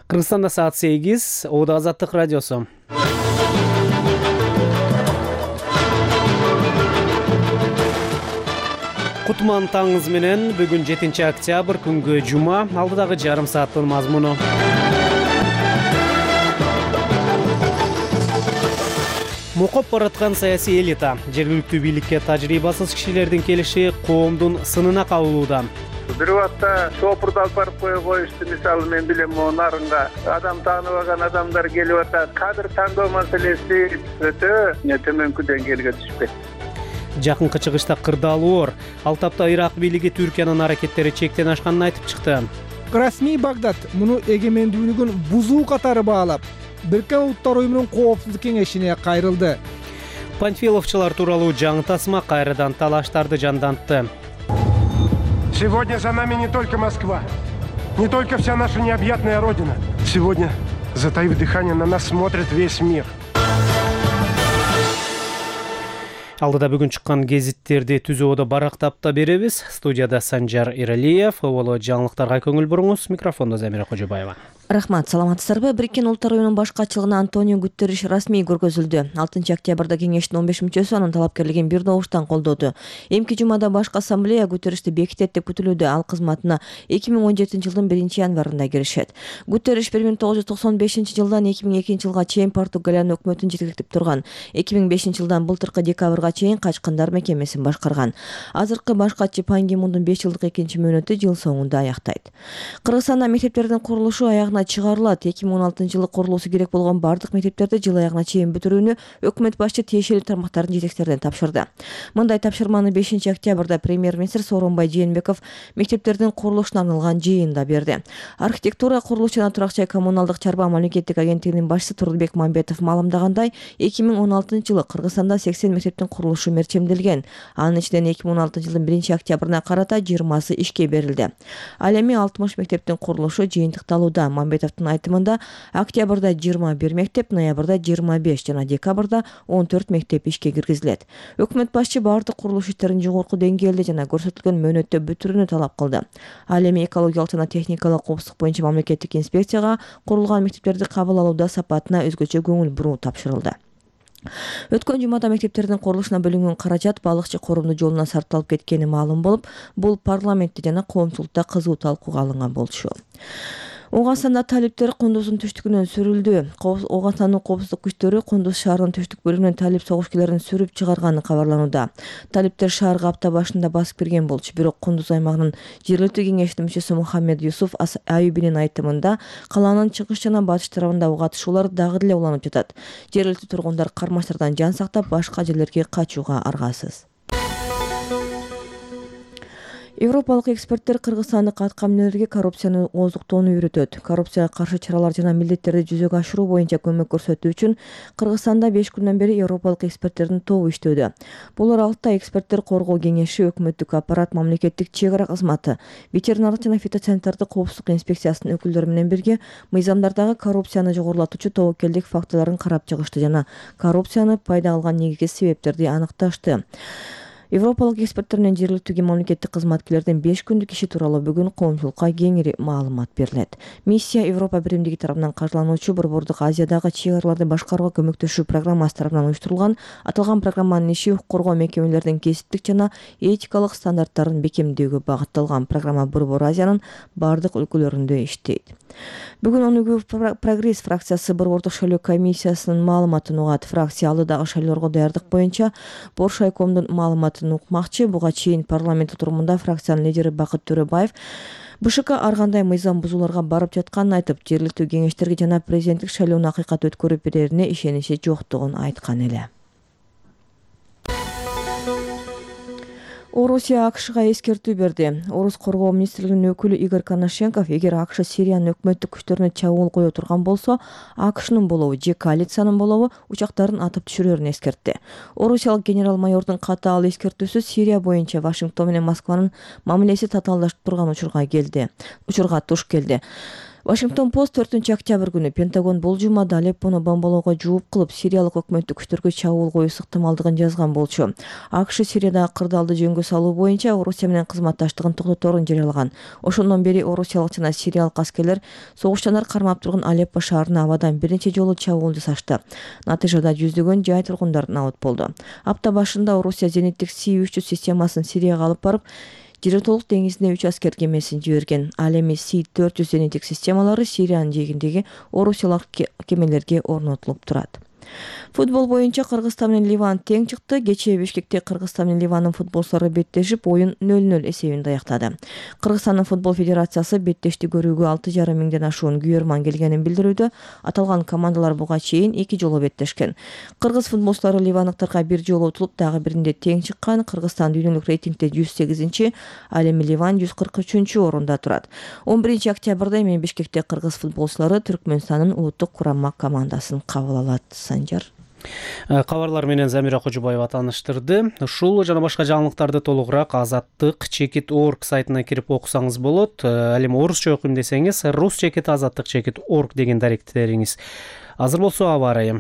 Кыргызстанда саат 8, Ода Азаттык радиосу. Кутман таңыңыз менен, бүгүн 7 октябрь күнгө жума, алдыдагы жарым сааттын мазмуну. Мукоп бараткан саясий элита, жергиликтүү бийликке тажрыйбасыз кишилердин келиши коомдун сынына кабылууда. Бир убакта шопурду алып барып коюшту, мисалы мен билем, нарынга адам тааныбаган адамдар келип атат. Кадр тандоо маселеси өтө төмөнкү деңгээлге түшүп кетти. Жакынкы чыгышта кырдаалуу ор, ал тапта Ирак бийлиги Түркиянын аракеттери чектен ашканын айтып чыкты. Расмий Багдад муну эгемендүүлүгүн бузуу катары баалап, Бириккен Улуттар Уюмунун Коопсуздук кеңешине кайрылды. Панфиловчулар тууралуу жаңы тасма кайрадан талаштарды жандантты. Сегодня за нами не только Москва, не только вся наша необъятная родина. Сегодня, затаив дыхание, на нас смотрит весь мир. Алдыда бүгүн чыккан гезиттерди түзүүдө барактап да беребиз. Студияда Санжар Иралиев, Оло жаңылыктарга көңүл буруңуз. Микрофондо Замира Кожобаева. Рахмат, саламатсыздарбы? Бириккен Улуттар Уюмунун баш катчылыгына Антонио Гутерриш расмий көргөзүлдү. 6 октябрда кеңештин 15 мүчөсү анын талапкерлигин бир добуштан колдоду. Эмки жумада башкы ассамблея Гутерришти бекитет деп күтүлүүдө. Ал кызматына 2017 жылдын 1-январында киришет. Гутерриш 1995 жылдан 2002 жылга чейин Португалиянын өкмөтүн жетектеп турган. 2005 жылдан былтыркы декабрга чейин качкындар мекемесин башкарган. Азыркы баш катчы Пан Ги Мундун 5 жылдык экинчи мөөнөтү жыл соңунда аяктайт. Кыргызстанда мектептердин курулушу аягына чыгарылат. 2016 жылы курулуусу керек болгон бардык мектептерди жыл аягына чейин бүтүрүүнү өкмөт башчы тиешелүү тармактардын жетекчилерине тапшырды. Мындай тапшырманы 5 октябрда премьер-министр Сооронбай Жээнбеков мектептердин курулушуна арналган жыйында берди. Архитектура, курулуш жана турак жай коммуналдык чарба мамлекеттик агенттигинин башчысы Турдубек Мамбетов маалымдагандай, 2016 жылы Кыргызстанда 80 мектептин курулушу мерчемделген. Анын ичинен 2016 жылдын 1 октябрына карата 20сы ишке берилди. Ал эми 60 мектептин курулушу жыйынтыкталууда. Мамбетовдун айтымында, октябрда 21 мектеп, ноябрда 25 жана декабрда 14 мектеп ишке киргизилет. Өкмөт башчы бардык курулуш иштерин жогорку деңгээлде жана көрсөтүлгөн мөөнөттө бүтүрүүнү талап кылды. Ал эми экологиялык жана техникалык коопсуздук боюнча мамлекеттик инспекцияга курулган мектептерди кабыл алууда сапатына өзгөчө көңүл буруу тапшырылды. Өткөн жумада мектептердин курулушуна бөлүнгөн каражат балыкчы корумду жолуна сарпталып кеткени маалым болуп, бул парламентте жана коомчулукта кызуу талкууга алынган болчу. Оогастанда талиптер Кундуздун түштүгүнөн сүрүлдү. Оогастандын коопсуздук күчтөрү Кундуз шаарынын түштүк бөлүгүнөн талип согушкилерин сүрүп чыгарганы кабарланууда. Талиптер шаарга апта башында басып кирген болчу, бирок Кундуз аймагынын жергиликтүү кеңешинин мүчөсү Мухаммед Юсуф Аюбинин айтымында, калаанын чыгыш жана батыш тарабында ок атышуулар дагы деле уланып жатат. Жергиликтүү тургундар кармаштардан жан сактап, башка жерлерге качууга аргасыз. Европалык эксперттер кыргызстандык аткаминерлерге коррупцияны ооздуктоону үйрөтөт. Коррупцияга каршы чаралар жана милдеттерди жүзөгө ашыруу боюнча көмөк көрсөтүү үчүн Кыргызстанда 5 күндөн бери европалык эксперттердин тобу иштөөдө. Булар Алтай эксперттер коргоо кеңеши, өкмөттүк аппарат, мамлекеттик чек ара кызматы, ветеринардык жана фитосанитардык коопсуздук инспекциясынын өкүлдөрү менен бирге мыйзамдардагы коррупцияны жогорулатуучу тобокелдик фактыларын карап чыгышты жана коррупцияны пайда алган негизги себептерди аныкташты. Европалык эксперттер менен жергиликтүү мамлекеттик кызматкерлердин 5 күндүк иши тууралуу бүгүн коомчулукка кеңири маалымат берилет. Миссия Европа биримдиги тарабынан каржылануучу Борбордук Азиядагы чек араларды башкарууга көмөктөшүү программасы тарабынан уюштурулган. Аталган программанын иши укук коргоо мекемелеринин кесиптик жана этикалык стандарттарын бекемдөөгө багытталган. Программа Борбор Азиянын бардык өлкөлөрүндө иштейт. Бүгүн ОНУ Прогресс фракциясы Борбордук шайлоо комиссиясынын маалыматын угат. Фракция алдыдагы шайлоого даярдык боюнча Боршайкомдун маалыматын укмакчы. Буга чейин парламент отурумунда фракциянын лидери Бакыт Төрөбаев БШК ар кандай мыйзам бузууларга барып жатканын айтып, жергиликтүү кеңештерге жана президенттик шайлоону акыйкат өткөрүп берерине ишеничи жоктугун айткан эле. Орусия АКШга эскертүү берди. Орус коргоо министрлигинин өкүлү Игорь Коношенков, эгер АКШ Сириянын өкмөттүк күчтөрүнө чабуул кое турган болсо, АКШнын болобу же коалициянын болобу учактарын атып түшүрөрүн эскертти. Орусиялык генерал-майордун катаал эскертүүсү Сирия боюнча Вашингтон менен Москванын мамилеси татаалдашып турган учурга туш келди. Washington Post 4-октябрь күнү Пентагон бул жумада Алеппону бомбалоого жооп кылып, сириялык өкмөттүк күчтөргө чабуул коюш ыктымалдыгын жазган болчу. АКШ Сириядагы кырдаалды жөнгө салуу боюнча Орусия менен кызматташтыгын токтоторун жарыялаган. Ошондон бери орусиялык жана сириялык аскерлер согуштанар кармап турган Алеппо шаарына абадан бир нече жолу чабуул жасашты. Натыйжада жүздөгөн жай тургундар набыт болду. Апта башында Орусия зениттик С-300 системасын Сирияга алып барып, Жиротолук деңизине 3 аскер кемесин жиберген. Ал эми С-400 зениттик системалары Сириянын жээгиндеги орусиялык кемелерге орнотулуп турат. Футбол боюнча Кыргызстан менен Ливан тең чыкты. Кечээ Бишкекте Кыргызстан менен Ливандын футболчулары беттешип, оюн 0-0 эсебинде аяктады. Кыргызстандын футбол федерациясы беттешти көрүүгө 6,5 миңден ашуун күйөрман келгенин билдирүүдө. Аталган командалар буга чейин 2 жолу беттешкен. Кыргыз футболчулары ливандыктарга 1 жолу утулуп, дагы биринде тең чыккан. Кыргызстан дүйнөлүк рейтингде 108-чи, ал эми Ливан 143-чү орунда турат. 11 октябрда эми Бишкекте кыргыз футболчулары Түркмөнстандын улуттук курама командасын кабыл алат. Кабарлар менен Замира Кожобаева тааныштырды. Ушул жана башка жаңылыктарды толугураак azattik.org сайтына кирип окусаңыз болот. Ал эми орусча окуйм десеңиз, rus.azattik.org деген даректериңиз азыр болсо аба ырайы.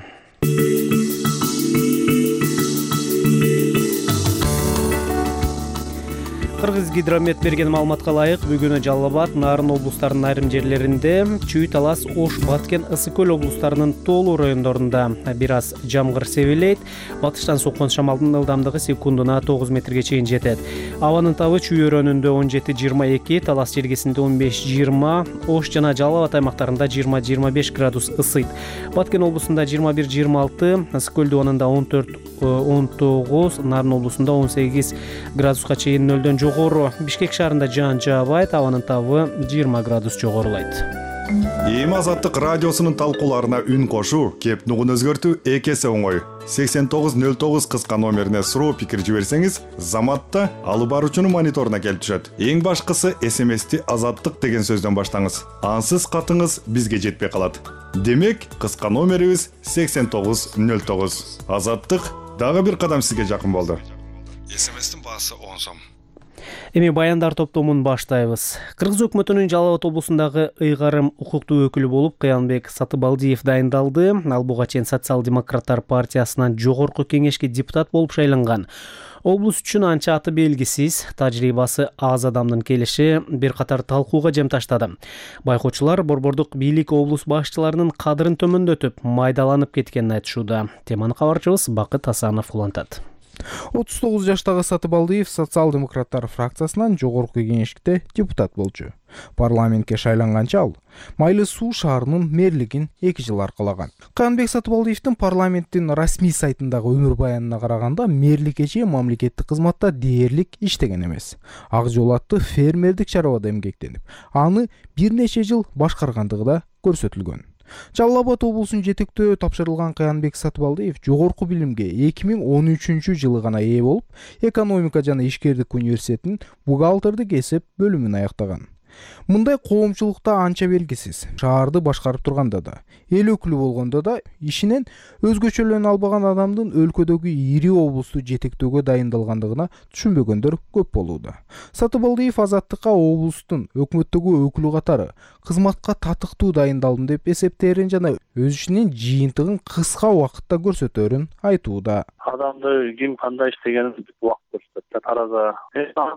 Кыргыз гидромет берген маалыматка ылайык, бүгүнү Жалал Абад, Нарын облустарынын айрым жерлеринде, Чүй, Талас, Ош, Баткен, Ысык көл облустарынын тоолуу райондорунда бир аз жамгыр себелейт. Батыштан соккон шамалдын ылдамдыгы секундуна 9 метрге чейин жетет. Абанын табы Чүй өрөөнүндө 17-22, Талас желгесинде 15-20, Ош жана Жалал Абад аймактарында 20-25 градус ысыйт. Баткен облусунда 21-26, Ысык көл дубанында 14-19, Нарын облусунда 18 градуска чейин нөлдөн жогору. Бишкек шаарында жаан жаабайт, абанын табы 20 градус жогорулайт. Эми Азаттык радиосунун талкууларына үн кошуу, кеп нугун өзгөртүү эки эсе оңой. 8909 кыска номерине суроо пикир жиберсеңиз, заматта алып баруучунун мониторуна келип түшөт. Эң башкысы SMS-ти Азаттык деген сөздөн баштаңыз. Ансыз катыңыз бизге жетпей калат. Демек, кыска номерибиз 8909. Азаттык дагы бир кадам сизге жакын болду. SMS-тин баасы 10 сом. Эми баяндар топтомун баштайбыз. Кыргыз өкмөтүнүн Жалал Абад облусундагы ыйгарым укуктуу өкүлү болуп Кыянбек Сатыбалдиев дайындалды. Ал буга чейин Социал-демократтар партиясынан жогорку кеңешке депутат болуп шайланган. Облус үчүн анча аты белгисиз, тажрыйбасы аз адамдын келиши бир катар талкууга жем таштады. Байкоочулар борбордук бийлик облус башчыларынын кадырын төмөндөтүп, майдаланып кеткенин айтышууда. Теманы кабарчыбыз Бакыт Асанов улантат. 39 жаштагы Сатыбалдиев Социал-демократтар фракциясынан жогорку кеңеште депутат болчу. Парламентке шайланганча ал Майлы Суу шаарынын мэрлигин 2 жыл аркалаган. Кыянбек Сатыбалдиевдин парламенттин расмий сайтындагы өмүр баянына караганда, мэрликке чейин мамлекеттик кызматта дээрлик иштеген эмес. Ак жол аттуу фермердик чарабада эмгектенип, аны бир нече жыл башкаргандыгы да көрсөтүлгөн. Жалал Абад облусун жетектөө тапшырылган Кыянбек Сатыбалдиев жогорку билимге 2013-жылы гана ээ болуп, экономика жана ишкердик университетинин бухгалтердик эсеп бөлүмүн аяктаган. Мындай коомчулукта анча белгисиз. Шаарды башкарып турганда да, эл өкүлү болгондо да ишинен өзгөчөлөнө албаган адамдын өлкөдөгү ири облусту жетектөөгө дайындалгандыгына түшүнбөгөндөр көп болууда. Сатыбалдиев Азаттыкка облустун өкмөттөгү өкүлү катары кызматка татыктуу дайындалдым деп эсептээрин жана өз ишинин жыйынтыгын кыска убакытта көрсөтөөрүн айтууда. Адамды ким кандай иштегенин убакыт көрсөтөт. Арада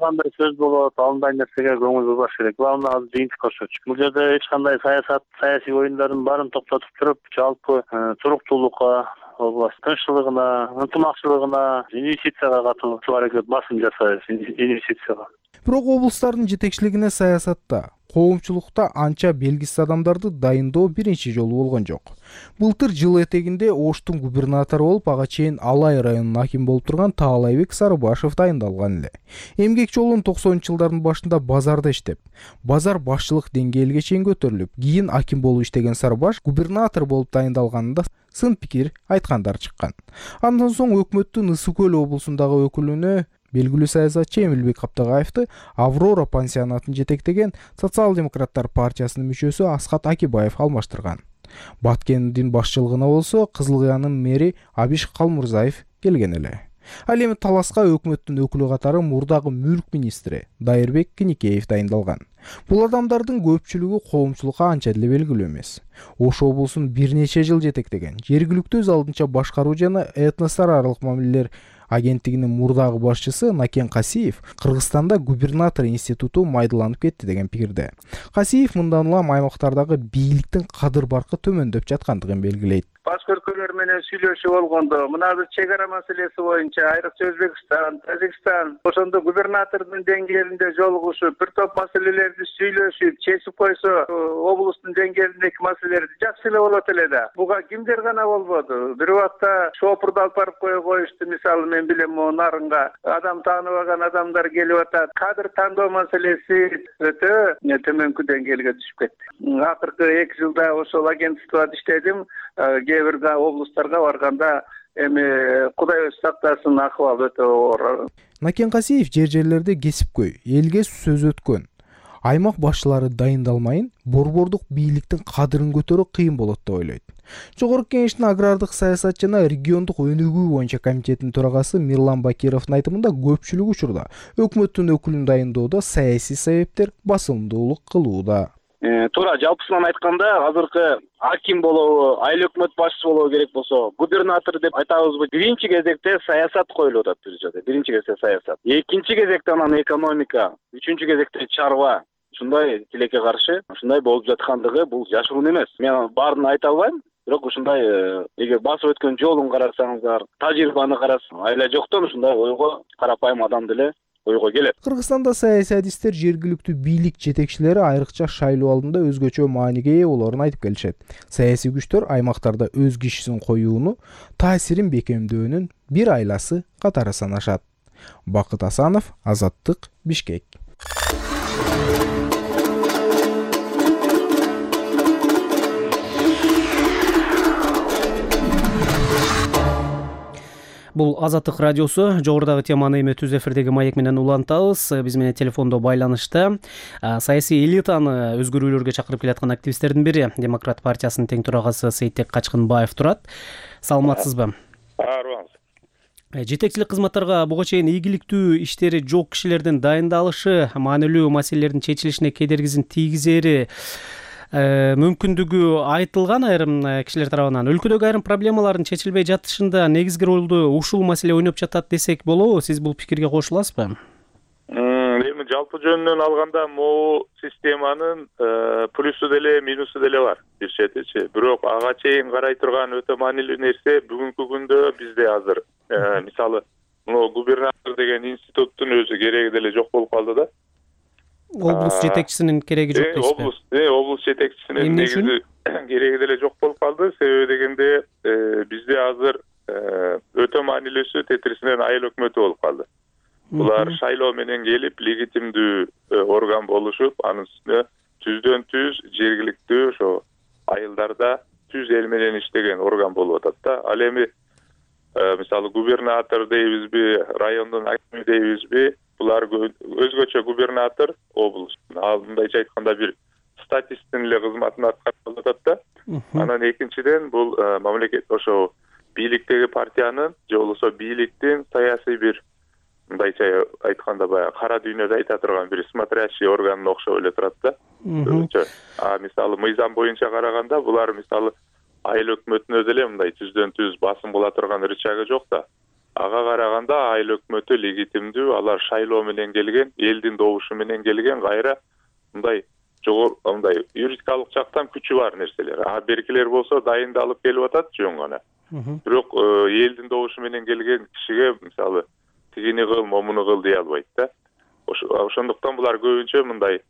кандай сөз болот, андай нерсеге көңүл бурбаш керек. Главное азыр жыйынтык көрсөтүш. Бул жерде эч кандай саясий оюндардын баарын токтотуп туруп, жалпы туруктуулукка, область тынччылыгына, ынтымакчылыгына, инвестицияга катуу аракет басым жасайбыз. Инвестицияга. Бирок облустардын жетекчилигине саясатта, коомчулукта анча белгисиз адамдарды дайындоо биринчи жолу болгон жок. Былтыр жыл этегинде Оштун губернатору болуп, ага чейин Алай районунун аким болуп турган Таалайбек Сарыбашев дайындалган эле. Эмгек жолун 90-жылдардын башында базарда иштеп, базар башчылык деңгээлге чейин көтөрүлүп, кийин аким болуп иштеген Сарыбаш губернатор болуп дайындалганында сын пикир айткандар чыккан. Андан соң өкмөттүн Ысык көл облусундагы өкүлүнө белгилүү саясатчы Эмилбек Каптагаевди Аврора пансионатын жетектеген Социал-демократтар партиясынын мүчөсү Асхат Акибаев алмаштырган. Баткендин башчылыгына болсо Кызыл Кыянын мэри Абиш Калмурзаев келген эле. Ал эми таласка өкмөттүн өкүлү катары мурдагы мүлк министри Дайырбек Киникеев дайындалган. Бул адамдардын көпчүлүгү коомчулукка анча деле белгилүү эмес. Ош облусун бир нече жыл жетектеген жергиликтүү өз алдынча башкаруу жана этностор аралык мамилелер агенттигинин мурдагы башчысы Накен Касиев Кыргызстанда губернатор институту майдаланып кетти деген пикирде. Касиев мындан улам аймактардагы бийликтин кадыр баркы төмөндөп жаткандыгын белгилейт. Башкы өлкөлөр менен сүйлөшүп болгондо мына бир чек ара маселеси боюнча айрыкча Өзбекстан, Тажикстан ошондо губернатордун деңгээлинде жолугушуп, бир топ маселелерди сүйлөшүп, чечип койсо, облустун деңгээлиндеги маселелерди жакшы эле болот эле да. Буга кимдер гана болбоду. Бир убакта шопурду алып барып коюшту. Мисалы мен билем, Нарынга адам тааныбаган адамдар келип атат. Кадр тандоо маселеси өтө төмөнкү деңгээлге түшүп кетти. Акыркы 2 жылда ошол агентствода иштедим. Кээ бир облустарга барганда эми Кудай өзү сактасын, акыбал өтө оор. Накен Касиев жерлерде кесипкөй, элге сөз өткөн. Аймак башчылары дайындалмайын, борбордук бийликтин кадырын көтөрүү кыйын болот деп ойлойт. Жогорку кеңештин агрардык саясат жана региондук өнүгүү боюнча комитетинин төрагасы Мирлан Бакировдун айтымында көпчүлүк учурда өкмөттүн өкүлүн дайындоодо саясий себептер басымдуулук кылууда. Туура, жалпысынан айтканда, азыркы аким болобу, айыл өкмөт башчысы болобу керек болсо, губернатор деп айтабызбы, биринчи кезекте саясат коюлуп атат бир жерде. Биринчи кезекте саясат. Экинчи кезекте анан экономика, үчүнчү кезекте чарба. Ушундай тилекке каршы, ушундай болуп жаткандыгы бул жашыруун эмес. Мен баарын айта албайм. Бирок ушундай эгер басып өткөн жолун карасаңыздар, тажрыйбаны карасаңыз, айла жоктон ушундай ойго карапайым адам деле ойго келет. Кыргызстанда саясий адистер жергиликтүү бийлик жетекчилери айрыкча шайлоо алдында өзгөчө мааниге ээ болоорун айтып келишет. Саясий күчтөр аймактарда өз кишисин коюуну, таасирин бекемдөөнүн бир айласы катары санашат. Бакыт Асанов, Азаттык, Бишкек. Бул Азаттык радиосу. Жогорудагы теманы эми түз эфирдеги маек менен улантабыз. Биз менен телефондо байланышта саясий элитаны өзгөрүүлөргө чакырып келаткан активисттердин бири Демократ партиясынын тең төрагасы Сейтек Качкынбаев турат. Саламатсызбы? Арыбаңыз. Жетекчилик кызматтарга буга чейин ийгиликтүү иштери жок кишилердин дайындалышы маанилүү маселелердин чечилишине кедергисин тийгизери мүмкүндүгү айтылган айрым кишилер тарабынан. Өлкөдөгү айрым проблемалардын чечилбей жатышында негизги ролду ушул маселе ойноп жатат десек болобу? Сиз бул пикирге кошуласызбы? Эми жалпы жөнүнөн алганда могу системанын плюсу деле минусу деле бар бир четичи. Бирок ага чейин карай турган өтө маанилүү нерсе бүгүнкү күндө бизде азыр мисалы могу губернатор деген институттун өзү кереги деле жок болуп калды да. Облус жетекчисинин кереги жок дейсизби? Облус жетекчисинин негизи кереги деле жок болуп калды. Себеби дегенде бизде азыр өтө маанилүүсү тетрисинен айыл өкмөтү болуп калды. Булар шайлоо менен келип легитимдүү орган болушуп, анын үстүнө түздөн түз жергиликтүү ошо айылдарда түз эл менен иштеген орган болуп атат да. Ал эми мисалы губернатор дейбизби, райондун акими дейбизби, булар өзгөчө губернатор облустун алдындайча айтканда бир статисттин эле кызматын аткарып атат да. Анан экинчиден бул мамлекет ошо бийликтеги партиянын же болбосо бийликтин саясий бир мындайча айтканда баягы кара дүйнөдө айта турган бир смотрящий органына окшоп эле турат да. Мисалы мыйзам боюнча караганда булар мисалы айыл өкмөтүнө деле мындай түздөн түз басым кыла турган рычагы жок да. Ага караганда айыл өкмөтү легитимдүү, алар шайлоо менен келген, элдин добушу менен келген, кайра мындай жогору мындай юридикалык жактан күчү бар нерселер. Беркилер болсо дайындалып келип атат жөн гана. Бирок элдин добушу менен келген кишиге мисалы тигини кыл, момуну кыл дей албайт да. Ошондуктан булар көбүнчө мындай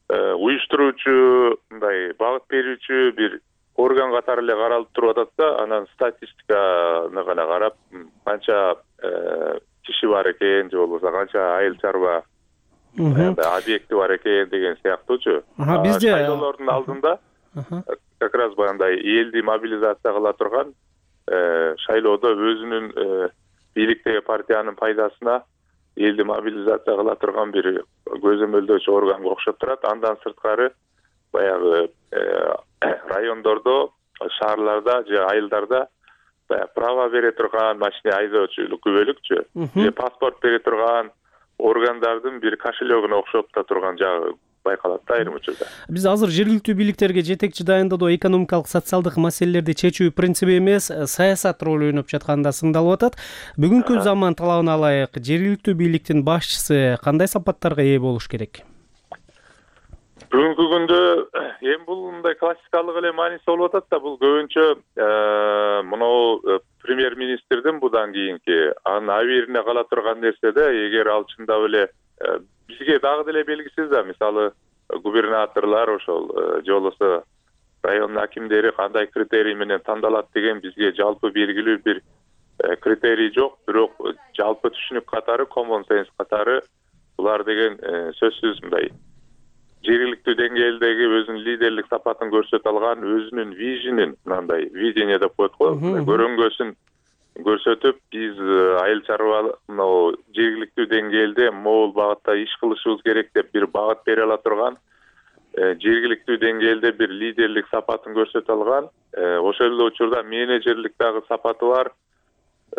уюштуруучу, мындай багыт берүүчү бир орган катары эле каралып туруп атат да. Анан статистиканы гана карап, канча киши бар экен, же болбосо канча айыл чарба объекти бар экен деген сыяктуучу. Бизде шайлоолордун алдында как раз баягындай элди мобилизация кыла турган шайлоодо өзүнүн бийликтеги партиянын пайдасына элди мобилизация кыла турган бир көзөмөлдөөчү органга окшоп турат. Андан сырткары баягы райондордо, шаарларда же айылдарда право бере турган машина айдоочулук күбөлүкчү же паспорт бере турган органдардын бир кошелегине окшоп да турган жагы байкалат да айрым учурда. Биз азыр жергиликтүү бийликтерге жетекчи дайындоодо экономикалык социалдык маселелерди чечүү принциби эмес, саясат ролу ойноп жатканы да сыңдалып атат. Бүгүнкү заман талабына ылайык жергиликтүү бийликтин башчысы кандай сапаттарга ээ болуш керек? Бүгүнкү күндө эми бул мындай классикалык эле мааниси болуп атат да, бул көбүнчө мынау премьер-министрдин будан кийинки анын абийирине кала турган нерсе да, эгер ал чындап эле бизге дагы деле белгисиз да, мисалы губернаторлор ошол же болбосо район акимдери кандай критерий менен тандалат деген бизге жалпы белгилүү бир критерий жок, бирок жалпы түшүнүк катары, common sense катары булар деген сөзсүз мындай жергиликтүү деңгээлдеги өзүнүн лидерлик сапатын көрсөтө алган, өзүнүн вижнин, мындай видение деп коет го, көрөңгөсүн көрсөтүп, биз айыл чарба мынау жергиликтүү деңгээлде могул багытта иш кылышыбыз керек деп бир багыт бере ала турган, жергиликтүү деңгээлде бир лидерлик сапатын көрсөтө алган, ошол эле учурда менеджерлик дагы сапаты бар,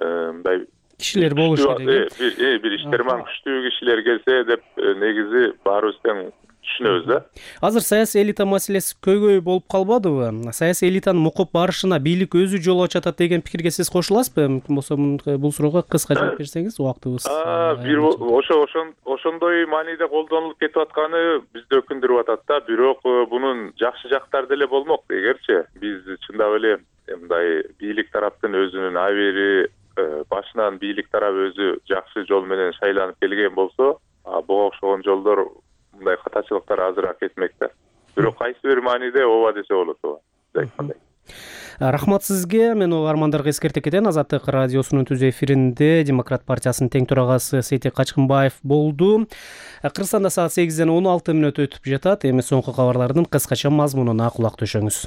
мындай кишилер болуш керек. Бир иштерман күчтүү кишилер келсе деп негизи баарыбыз тең түшүнөбүз да. Азыр саясий элита маселеси көйгөй болуп калбадыбы? Саясий элитанын мукуп барышына бийлик өзү жол ачат деген пикирге сиз кошуласызбы? Мүмкүн болсо бул суроого кыска жооп берсеңиз, убактыбыз. Ошондой мааниде колдонулуп кетип атканы бизди өкүндүрүп атат да, бирок бунун жакшы жактары деле болмок. Эгерчи биз чындап эле мындай бийлик тараптын өзүнүн абийири башынан бийлик тарап өзү жакшы жол менен шайланып келген болсо, буга окшогон жолдор мындай катачылыктар азыраак кетмек да. Бирок кайсы бир мааниде ооба десе болот ооба. Рахмат сизге. Мен угармандарга эскерте кетейин. Азаттык радиосунун түз эфиринде Демократ партиясынын тең төрагасы Сейтек Качкынбаев болду. Кыргызстанда саат 8-ден 16 мүнөт өтүп жатат. Эми соңку кабарлардын кыскача мазмунуна кулак төшөңүз.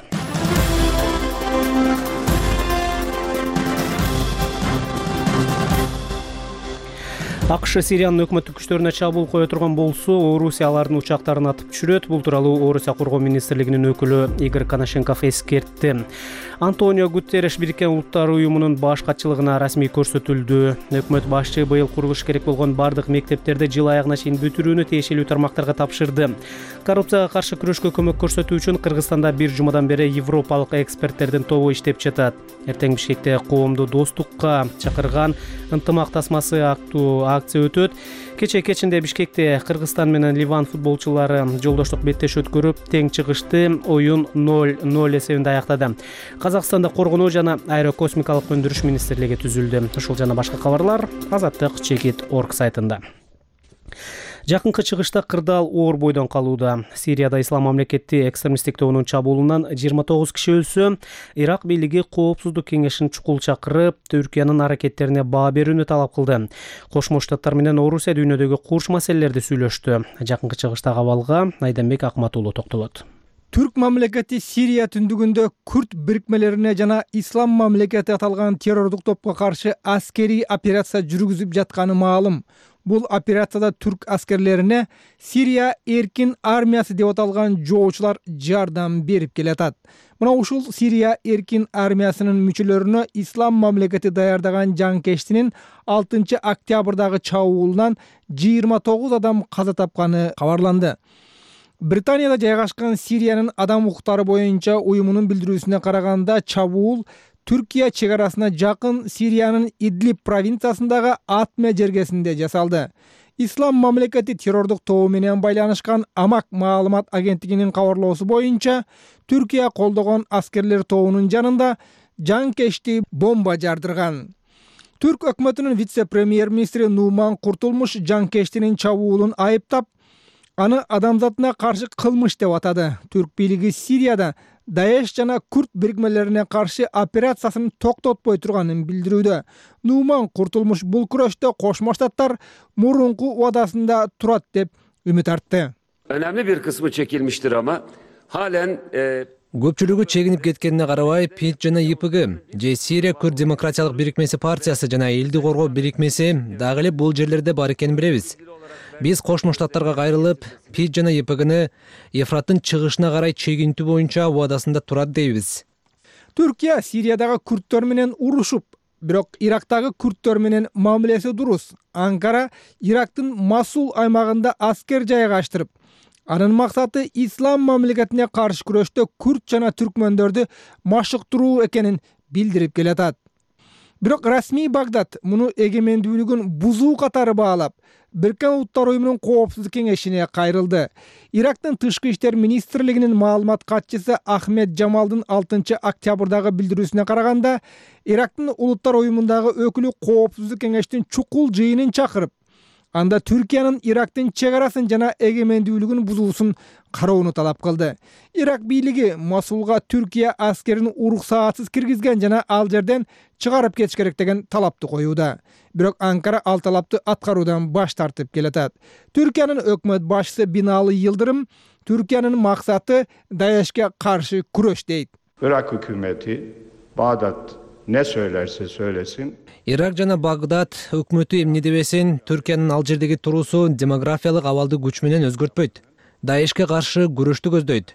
АКШ Сириянын өкмөттүк күчтөрүнө чабуул кое турган болсо, Орусия алардын учактарын атып түшүрөт. Бул тууралуу Орусия коргоо министрлигинин өкүлү Игорь Коношенков эскертти. Антонио Гутерриш Бириккен Улуттар уюмунун баш катчылыгына расмий көрсөтүлдү. Өкмөт башчы быйыл курулуш керек болгон бардык мектептерди жыл аягына чейин бүтүрүүнү тиешелүү тармактарга тапшырды. Коррупцияга каршы күрөшкө көмөк көрсөтүү үчүн Кыргызстанда бир жумадан бери европалык эксперттердин тобу иштеп жатат. Эртең Бишкекте коомду достукка чакырган ынтымак тасмасы аттуу акция өтөт. Кечинде Бишкекте Кыргызстан менен Ливан футболчулары жолдоштук беттешүү өткөрүп, тең чыгышты. Оюн 0-0 эсебинде аяктады. Казакстанда коргонуу жана аэрокосмикалык өндүрүш министрлиги түзүлдү. Ушул жана башка кабарлар Азаттык Чекит.org сайтында. Жакынкы чыгышта кырдаал оор бойдон калууда. Сирияда Ислам мамлекети экстремисттик тобунун чабуулунан 29 киши өлсө, Ирак бийлиги Коопсуздук кеңешин чукул чакырып, Түркиянын аракеттерине баа берүүнү талап кылды. Кошмо Штаттар менен Орусия дүйнөдөгү курч маселелерди сүйлөштү. Жакынкы чыгыштагы абалга Айданбек Акматуулу токтолот. Түрк мамлекети Сирия түндүгүндө күрд бирикмелерине жана Ислам мамлекети аталган террордук топко каршы аскерий операция жүргүзүп жатканы маалым. Бул операцияда түрк аскерлерине Сирия эркин армиясы деп аталган жоочулар жардам берип келатат. Мына ушул Сирия эркин армиясынын мүчөлөрүнө Ислам мамлекети даярдаган жанкештинин 6 октябрдагы чабуулунан 29 адам каза тапканы кабарланды. Британияда жайгашкан Сириянын адам укуктары боюнча уюмунун билдирүүсүнө караганда, чабуул Түркия чек арасына жакын Сириянын Идлиб провинциясындагы Атме жергесинде жасалды. Ислам мамлекети террордук тобу менен байланышкан Амак маалымат агенттигинин кабарлоосу боюнча, Түркия колдогон аскерлер тобунун жанында жанкешти бомба жардырган. Түрк өкмөтүнүн вице-премьер-министри Нуман Куртулмуш жанкештинин чабуулун айыптап, аны адамзатына каршы кылмыш деп атады. Түрк бийлиги Сирияда Даеш жана күрд бирикмелерине каршы операциясын токтотпой турганын билдирүүдө. Нуман Куртулмуш бул күрөштө Кошмо Штаттар мурунку убадасында турат деп үмүт артты. Önemli bir kısmı çekilmiştir ama halen Көпчүлүгү чегинип кеткенине карабай, ПИД жана ЙПГ же Сирия Күрд демократиялык бирикмеси партиясы жана элди коргоо бирикмеси дагы эле бул жерлерде бар экенин билебиз. Биз Кошмо Штаттарга кайрылып, ПИД жана ЙПГны Ефраттын чыгышына карай чегинтүү боюнча убадасында турат дейбиз. Түркия Сириядагы күрттөр менен урушуп, бирок Ирактагы күрттөр менен мамилеси дурус. Анкара Ирактын Масул аймагында аскер жайгаштырып, анын максаты ислам мамлекетине каршы күрөштө күрт жана түркмөндөрдү машыктыруу экенин билдирип келатат. Бирок расмий Багдад муну эгемендүүлүгүн бузуу катары баалап, Бириккен Улуттар Уюмунун Коопсуздук кеңешине кайрылды. Ирактын тышкы иштер министрлигинин маалымат катчысы Ахмед Жамалдын 6 октябрдагы билдирүүсүнө караганда, Ирактын Улуттар Уюмундагы өкүлү Коопсуздук кеңештин чукул жыйынын чакырып, анда Түркиянын Ирактын чек арасын жана эгемендүүлүгүн бузуусун кароону талап кылды. Ирак бийлиги Масулга Түркия аскерин уруксаатсыз киргизген жана ал жерден чыгарып кетиш керек деген талапты коюуда. Бирок Анкара ал талапты аткаруудан баш тартып келатат. Түркиянын өкмөт башчысы Бинали Йылдырым Түркиянын максаты Даешке каршы күрөш дейт. Irak hükümeti Bağdat ne söylerse söylesin. Ирак жана Багдад өкмөтү эмне дебесин, Түркиянын ал жердеги туруусу демографиялык абалды күч менен өзгөртпөйт. Даешке каршы күрөштү көздөйт.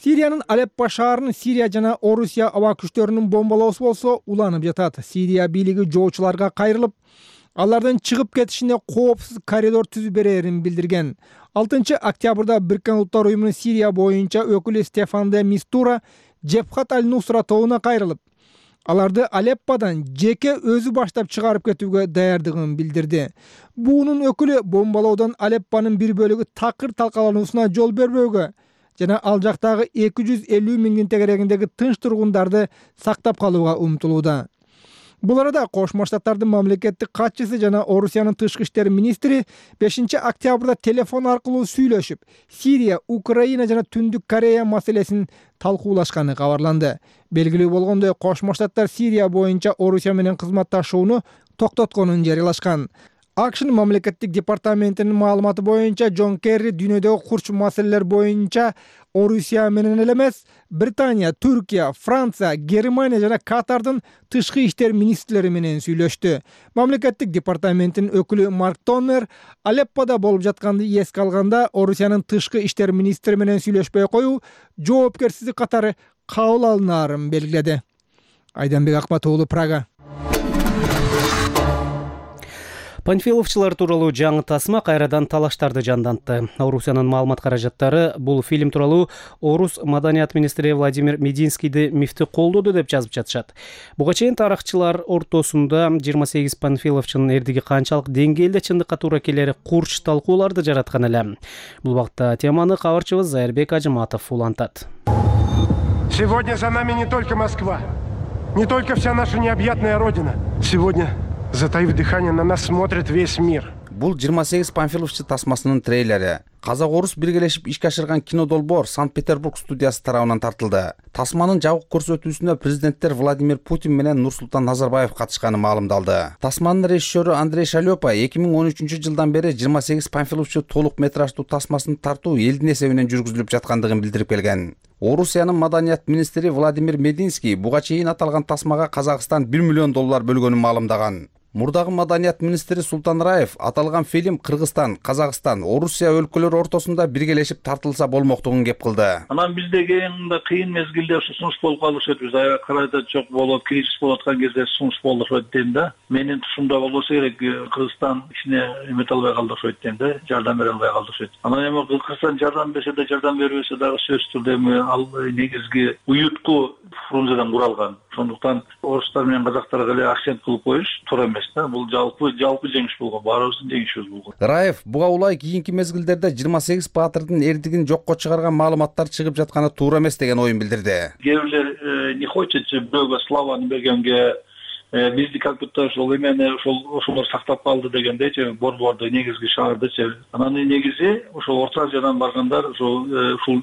Сириянын Алеппо шаарын Сирия жана Орусия аба күчтөрүнүн бомбалоосу болсо уланып жатат. Сирия бийлиги жоочуларга кайрылып, алардын чыгып кетишине коопсуз коридор түзүп берерин билдирген. 6 октябрда Бириккен Улуттар Уюмунун Сирия боюнча өкүлү Стефан де Мистура Джебхат аль-Нусра тобуна кайрылып, аларды Алепподан жеке өзү баштап чыгарып кетүүгө даярдыгын билдирди. Буунун өкүлү бомбалоодон Алеппонун бир бөлүгү такыр талкалануусуна жол бербөөгө жана ал жактагы 250 миңдин тегерегиндеги тынч тургундарды сактап калууга умтулууда. Бул арада Кошмо Штаттардын мамлекеттик катчысы жана Орусиянын тышкы иштер министри 5 октябрда телефон аркылуу сүйлөшүп, Сирия, Украина жана Түндүк Корея маселесин талкуулашканы кабарланды. Белгилүү болгондой, Кошмо Штаттар Сирия боюнча Орусия менен кызматташууну токтотконун жарыялашкан. AQShnын мамлекеттик департаментинин маалыматы боюнча Джон Керри дүйнөдөгү курч маселелер боюнча Орусия менен эле эмес, Британия, Түркия, Франция, Германия жана Катардын тышкы иштер министрлери менен сүйлөштү. Мамлекеттик департаменттин өкүлү Марк Тоннер Алеппода болуп жатканды эске алганда, Орусиянын тышкы иштер министри менен сүйлөшпөй коюу жоопкерсиздик катары кабыл алынаарын белгиледи. Айданбек Акмат уулу, Прага. Панфиловчулар тууралуу жаңы тасма кайрадан талаштарды жандантты. Орусиянын маалымат каражаттары бул фильм тууралуу Орус маданият министри Владимир Мединскийди мифти колдоду деп жазып жатышат. Буга чейин тарыхчылар ортосунда 28 панфиловчунун эрдиги канчалык деңгээлде чындыкка туура келери курч талкууларды жараткан эле. Бул убакта теманы кабарчыбыз Зайырбек Ажыматов улантат. Сегодня за нами не только Москва, не только вся наша необъятная родина. Сегодня, затаив дыхание, на нас смотрит весь мир. Бул 28 панфиловчу тасмасынын трейлери. Казак-орус биргелешип ишке ашырган кинодолбоор Санкт-Петербург студиясы тарабынан тартылды. Тасманын жабык көрсөтүүсүнө президенттер Владимир Путин менен Нурсултан Назарбаев катышканы маалымдалды. Тасманын режиссеру Андрей Шалёпа 2013 жылдан бери 28 панфиловчу толук метраждуу тасмасын тартуу элдин эсебинен жүргүзүлүп жаткандыгын билдирип келген. Орусиянын маданият министри Владимир Мединский буга чейин аталган тасмага Казакстан $1 миллион бөлгөнүн маалымдаган. Мурдагы маданият министри Султан Раев аталган фильм Кыргызстан, Казакстан, Орусия өлкөлөрү ортосунда биргелешип тартылса болмоктугун кеп кылды. Анан бизде кийинде кыйын мезгилде сунуш болуп калышат. Биз аябай жок болуп, кризис болуп аткан кезде сунуш болушат дейм да. Менин тушумда болбосо керек Кыргызстан ичине эмете албай калдырышат дейм да, жардам бере албай калдырышат. Анан эми Кыргызстан жардам берсе да, жардам бербесе дагы сөзсүз түрдө эми ал негизги уютку Фрунзеден куралган. Сондуктан орустар менен казактарга эле акцент кылып коюш туура эмес да. Бул жалпы жеңиш болгон, баарыбыздын жеңишибиз болгон. Раев буга улай кийинки мезгилдерде 28 баатырдын эрдигин жокко чыгарган маалыматтар чыгып жатканы туура эмес деген оюн билдирди. Кээ бирлер не хочет бирөөгө славаны бергенге бизди как будто ошол эмени ошолор сактап калды дегендейчи, борборду негизги шаардычы. Анан негизи ошол Орто Азиядан баргандар ошол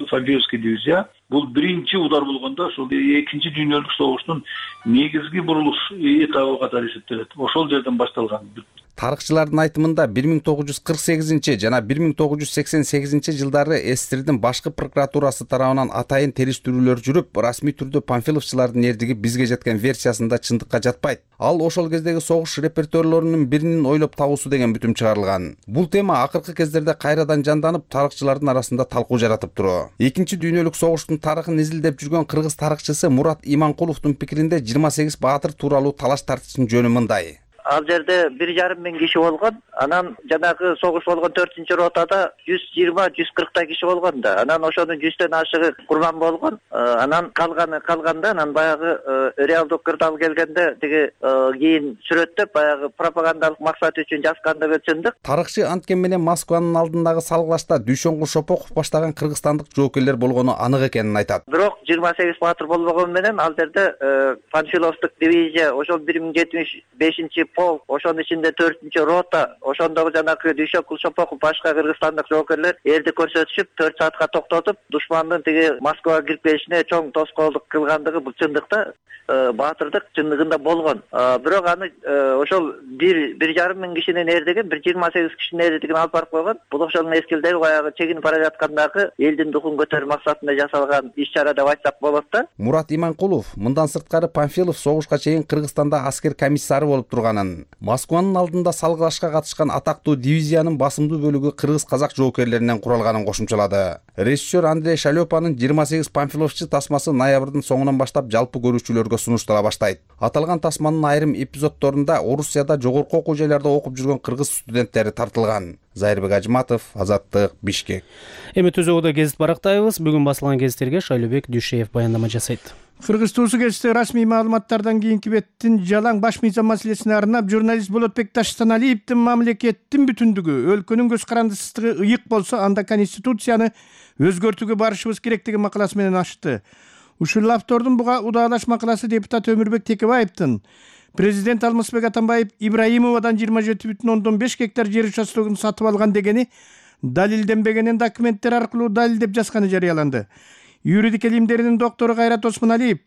Фабиевский дивизия бул биринчи удар болгондо ошол экинчи дүйнөлүк согуштун негизги бурулуш этабы катары эсептелет. Ошол жерден башталган. Тарыхчылардын айтымында 1948 жана 1988 жылдары СССРдин башкы прокуратурасы тарабынан атайын териштирүүлөр жүрүп, расмий түрдө панфиловчулардын эрдиги бизге жеткен версиясында чындыкка жатпайт. Ал ошол кездеги согуш репертуарлорунун биринин ойлоп табуусу деген бүтүм чыгарылган. Бул тема акыркы кездерде кайрадан жанданып, тарыхчылардын арасында талкуу жаратып туруу. Экинчи дүйнөлүк согуштун Панфиловдун тарыхын изилдеп жүргөн кыргыз тарыхчысы Мурат Иманкуловдун пикиринде 28 баатыр тууралуу талаш тартыштын жөнү мындай. Ал жерде 1,5 миң киши болгон. Анан жанагы согуш болгон 4-ротада 120-140 киши болгон да. Анан ошонун 100төн ашыгы курман болгон. Анан калганда анан баягы реалдык кырдаал келгенде тиги кийин сүрөттөп баягы пропагандалык максат үчүн жазгандыгы чындык. Тарыхчы анткени менен Москванын алдындагы салгылашта Дүйшөнгүл Шопоков баштаган кыргызстандык жоокерлер болгону анык экенин айтат. Бирок 28 баатыр болбогон менен ал жерде Панфиловдук дивизия, ошол 1075 полк, ошонун ичинде 4-рота, ошондогу жанагы Дүйшөнгүл Шопоков башка кыргызстандык жоокерлер элди көрсөтүшүп 4 саатка токтотуп, душмандын тиги Москвага кирип келишине чоң тоскоолдук кылгандыгы бул чындыкта баатырдык чындыгында болгон. Бирок аны ошол 1,5 миң кишинин эрдигин 28 кишинин эрдигин алып барып койгон. Бул ошол мезгилдеги баягы чегинип бара жаткандагы элдин духун көтөрүү максатында жасалган иш-чара деп айтсак болот да. Мурат Иманкулов мындан сырткары Панфилов согушка чейин Кыргызстанда аскер комиссары болуп турганын, Москванын алдында салгылашка катышкан атактуу дивизиянын басымдуу бөлүгү кыргыз-казак жоокерлеринен куралганын кошумчалады. Режиссер Андрей Шалёпанын 28 Панфиловчу тасмасы ноябрдын соңунан баштап жалпы көрүүчүлөргө сунуштала баштайт. Аталган тасманын айрым эпизоддорунда Орусияда жогорку окуу жайларда окуп жүргөн кыргыз студенттери тартылган. Зайырбек Ажматов, Азаттык, Бишкек. Эми түзөгүдө гезит барактайбыз. Бүгүн басылган гезиттерге Шайлообек Дүйшеев баяндама жасайт. Кыргыз туусу гезити расмий маалыматтардан кийинки беттин жалаң баш мыйзам маселесине арнап журналист Болотбек Таштаналиевдин мамлекеттин бүтүндүгү, өлкөнүн көз карандысыздыгы ыйык болсо, анда конституцияны өзгөртүүгө барышыбыз керек деген макаласы менен ачты. Ушул автордун буга удаалаш макаласы депутат Өмүрбек Текебаевдин президент Алмазбек Атамбаев Ибраимовадан 27,5 гектар жер участогун сатып алган дегени далилденбегенин документтер аркылуу далилдеп жазганы жарыяланды. Юридика илимдеринин доктору Кайрат Осмоналиев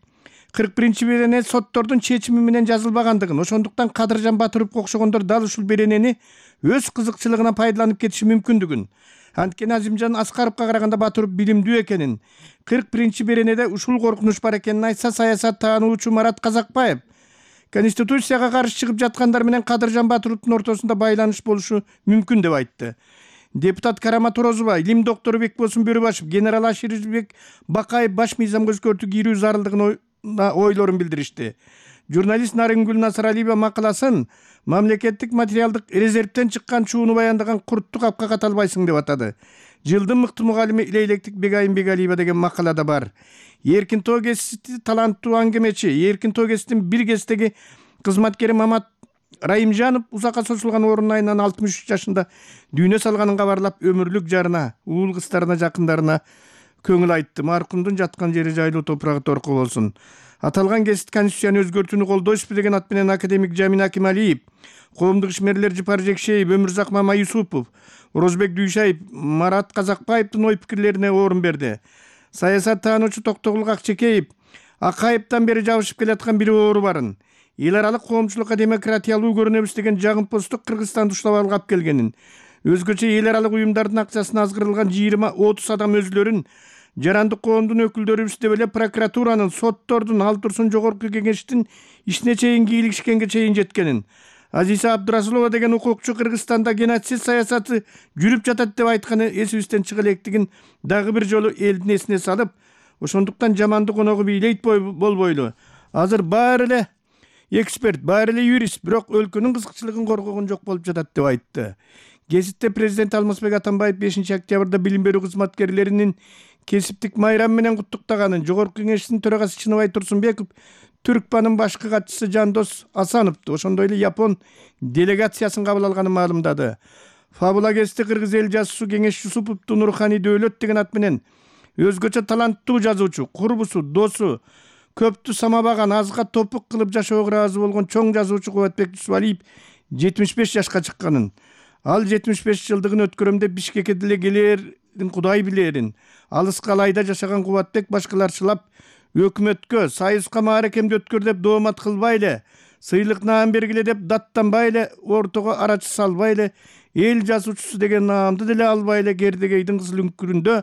41-берене соттордун чечими менен жазылбагандыгын, ошондуктан Кадыржан Батыровго окшогондор дал ушул беренени өз кызыкчылыгына пайдаланып кетиши мүмкүндүгүн, анткени Азимжан Аскаровго караганда Батыров билимдүү экенин, 41-беренеде ушул коркунуч бар экенин айтса, саясат таануучу Марат Казакбаев Конституцияга каршы чыгып жаткандар менен Кадыржан Батыровдун ортосунда байланыш болушу мүмкүн деп айтты. Депутат Карама Турозова, илим доктору Бекбосун Бөрүбашев, генерал Аширбек Бакаев баш мыйзамга өзгөртүү кирүү зарылдыгын ойлорун билдиришти. Журналист Нарынгүл Насыралиева макаласын мамлекеттик материалдык резервден чыккан чууну баяндаган курттук апка каталбайсың деп атады. Жылдын мыкты мугалими Илейлектик Бегайым Бегалиева деген макалада бар. Эркин Тоо гезити таланттуу аңгемечи, Эркин Тоо гезитин бир кездеги кызматкери Мамат Райымжанов узакка созулган оорунун айынан 63 жашында дүйнө салганын кабарлап, өмүрлүк жарына, уул кыздарына, жакындарына көңүл айтты. Маркумдун жаткан жери жайлуу, топурагы торку болсун. Аталган гезит конституцияны өзгөртүүнү колдойсузбу деген ат менен академик Жамин Акималиев, коомдук ишмерлер Жыпар Жекшеев, Өмүрзак Мамаюсупов, Орозбек Дүйшаев, Марат Казакбаевдин ой пикирлерине орун берди. Саясат таануучу Токтогул Акчекеев Акаевден бери жабышып келаткан бир оору барын, эл аралык коомчулукка демократиялуу көрүнөбүз деген жагымпоздук Кыргызстанды уштап алгап келгенин, өзгөчө эл аралык уюмдардын акчасына азгырылган 20-30 адам өзлөрүн жарандык коомдун өкүлдөрүбүз деп эле прокуратуранын, соттордун, ал турсун жогорку кеңештин ишине чейин кийлигишкенге чейин жеткенин, Азиса Абдурасулова деген укукчу Кыргызстанда геноцид саясаты жүрүп жатат деп айтканы эсибизден чыга электигин дагы бир жолу элдин эсине салып, ошондуктан жаманды коногу бийлейт болбойлу. Азыр баары эле эксперт, баары эле юрист, бирок өлкөнүн кызыкчылыгын коргогон жок болуп жатат деп айтты. Гезитте президент Алмазбек Атамбаев 5 октябрда билим берүү кызматкерлеринин кесиптик майрам менен куттуктаганын, жогорку кеңештин төрагасы Чыныбай Турсунбеков Түркпанын башкы катчысы Жандос Асановду, ошондой эле Япон делегациясын кабыл алганын маалымдады. Фабула гезити кыргыз эл жазуусу Кеңеш Юсуповду Нурхани Дөөлөт деген ат менен өзгөчө таланттуу жазуучу, курбусу, досу, көптү самабаган, азга топук кылып жашоого ыраазы болгон чоң жазуучу Кубатбек Жусупалиев 75 жашка чыкканын, ал 75 жылдыгын өткөрөм деп Бишкекке деле келерин Кудай билерин, алыска Алайда жашаган Кубатбек башкаларчылап өкмөткө, союзга мааракемди өткөр деп доомат кылбай эле, сыйлык наам бергиле деп даттанбай эле, ортого арачы салбай эле, эл жазуучусу деген наамды деле албай эле Кердегейдин кызыл үңкүрүндө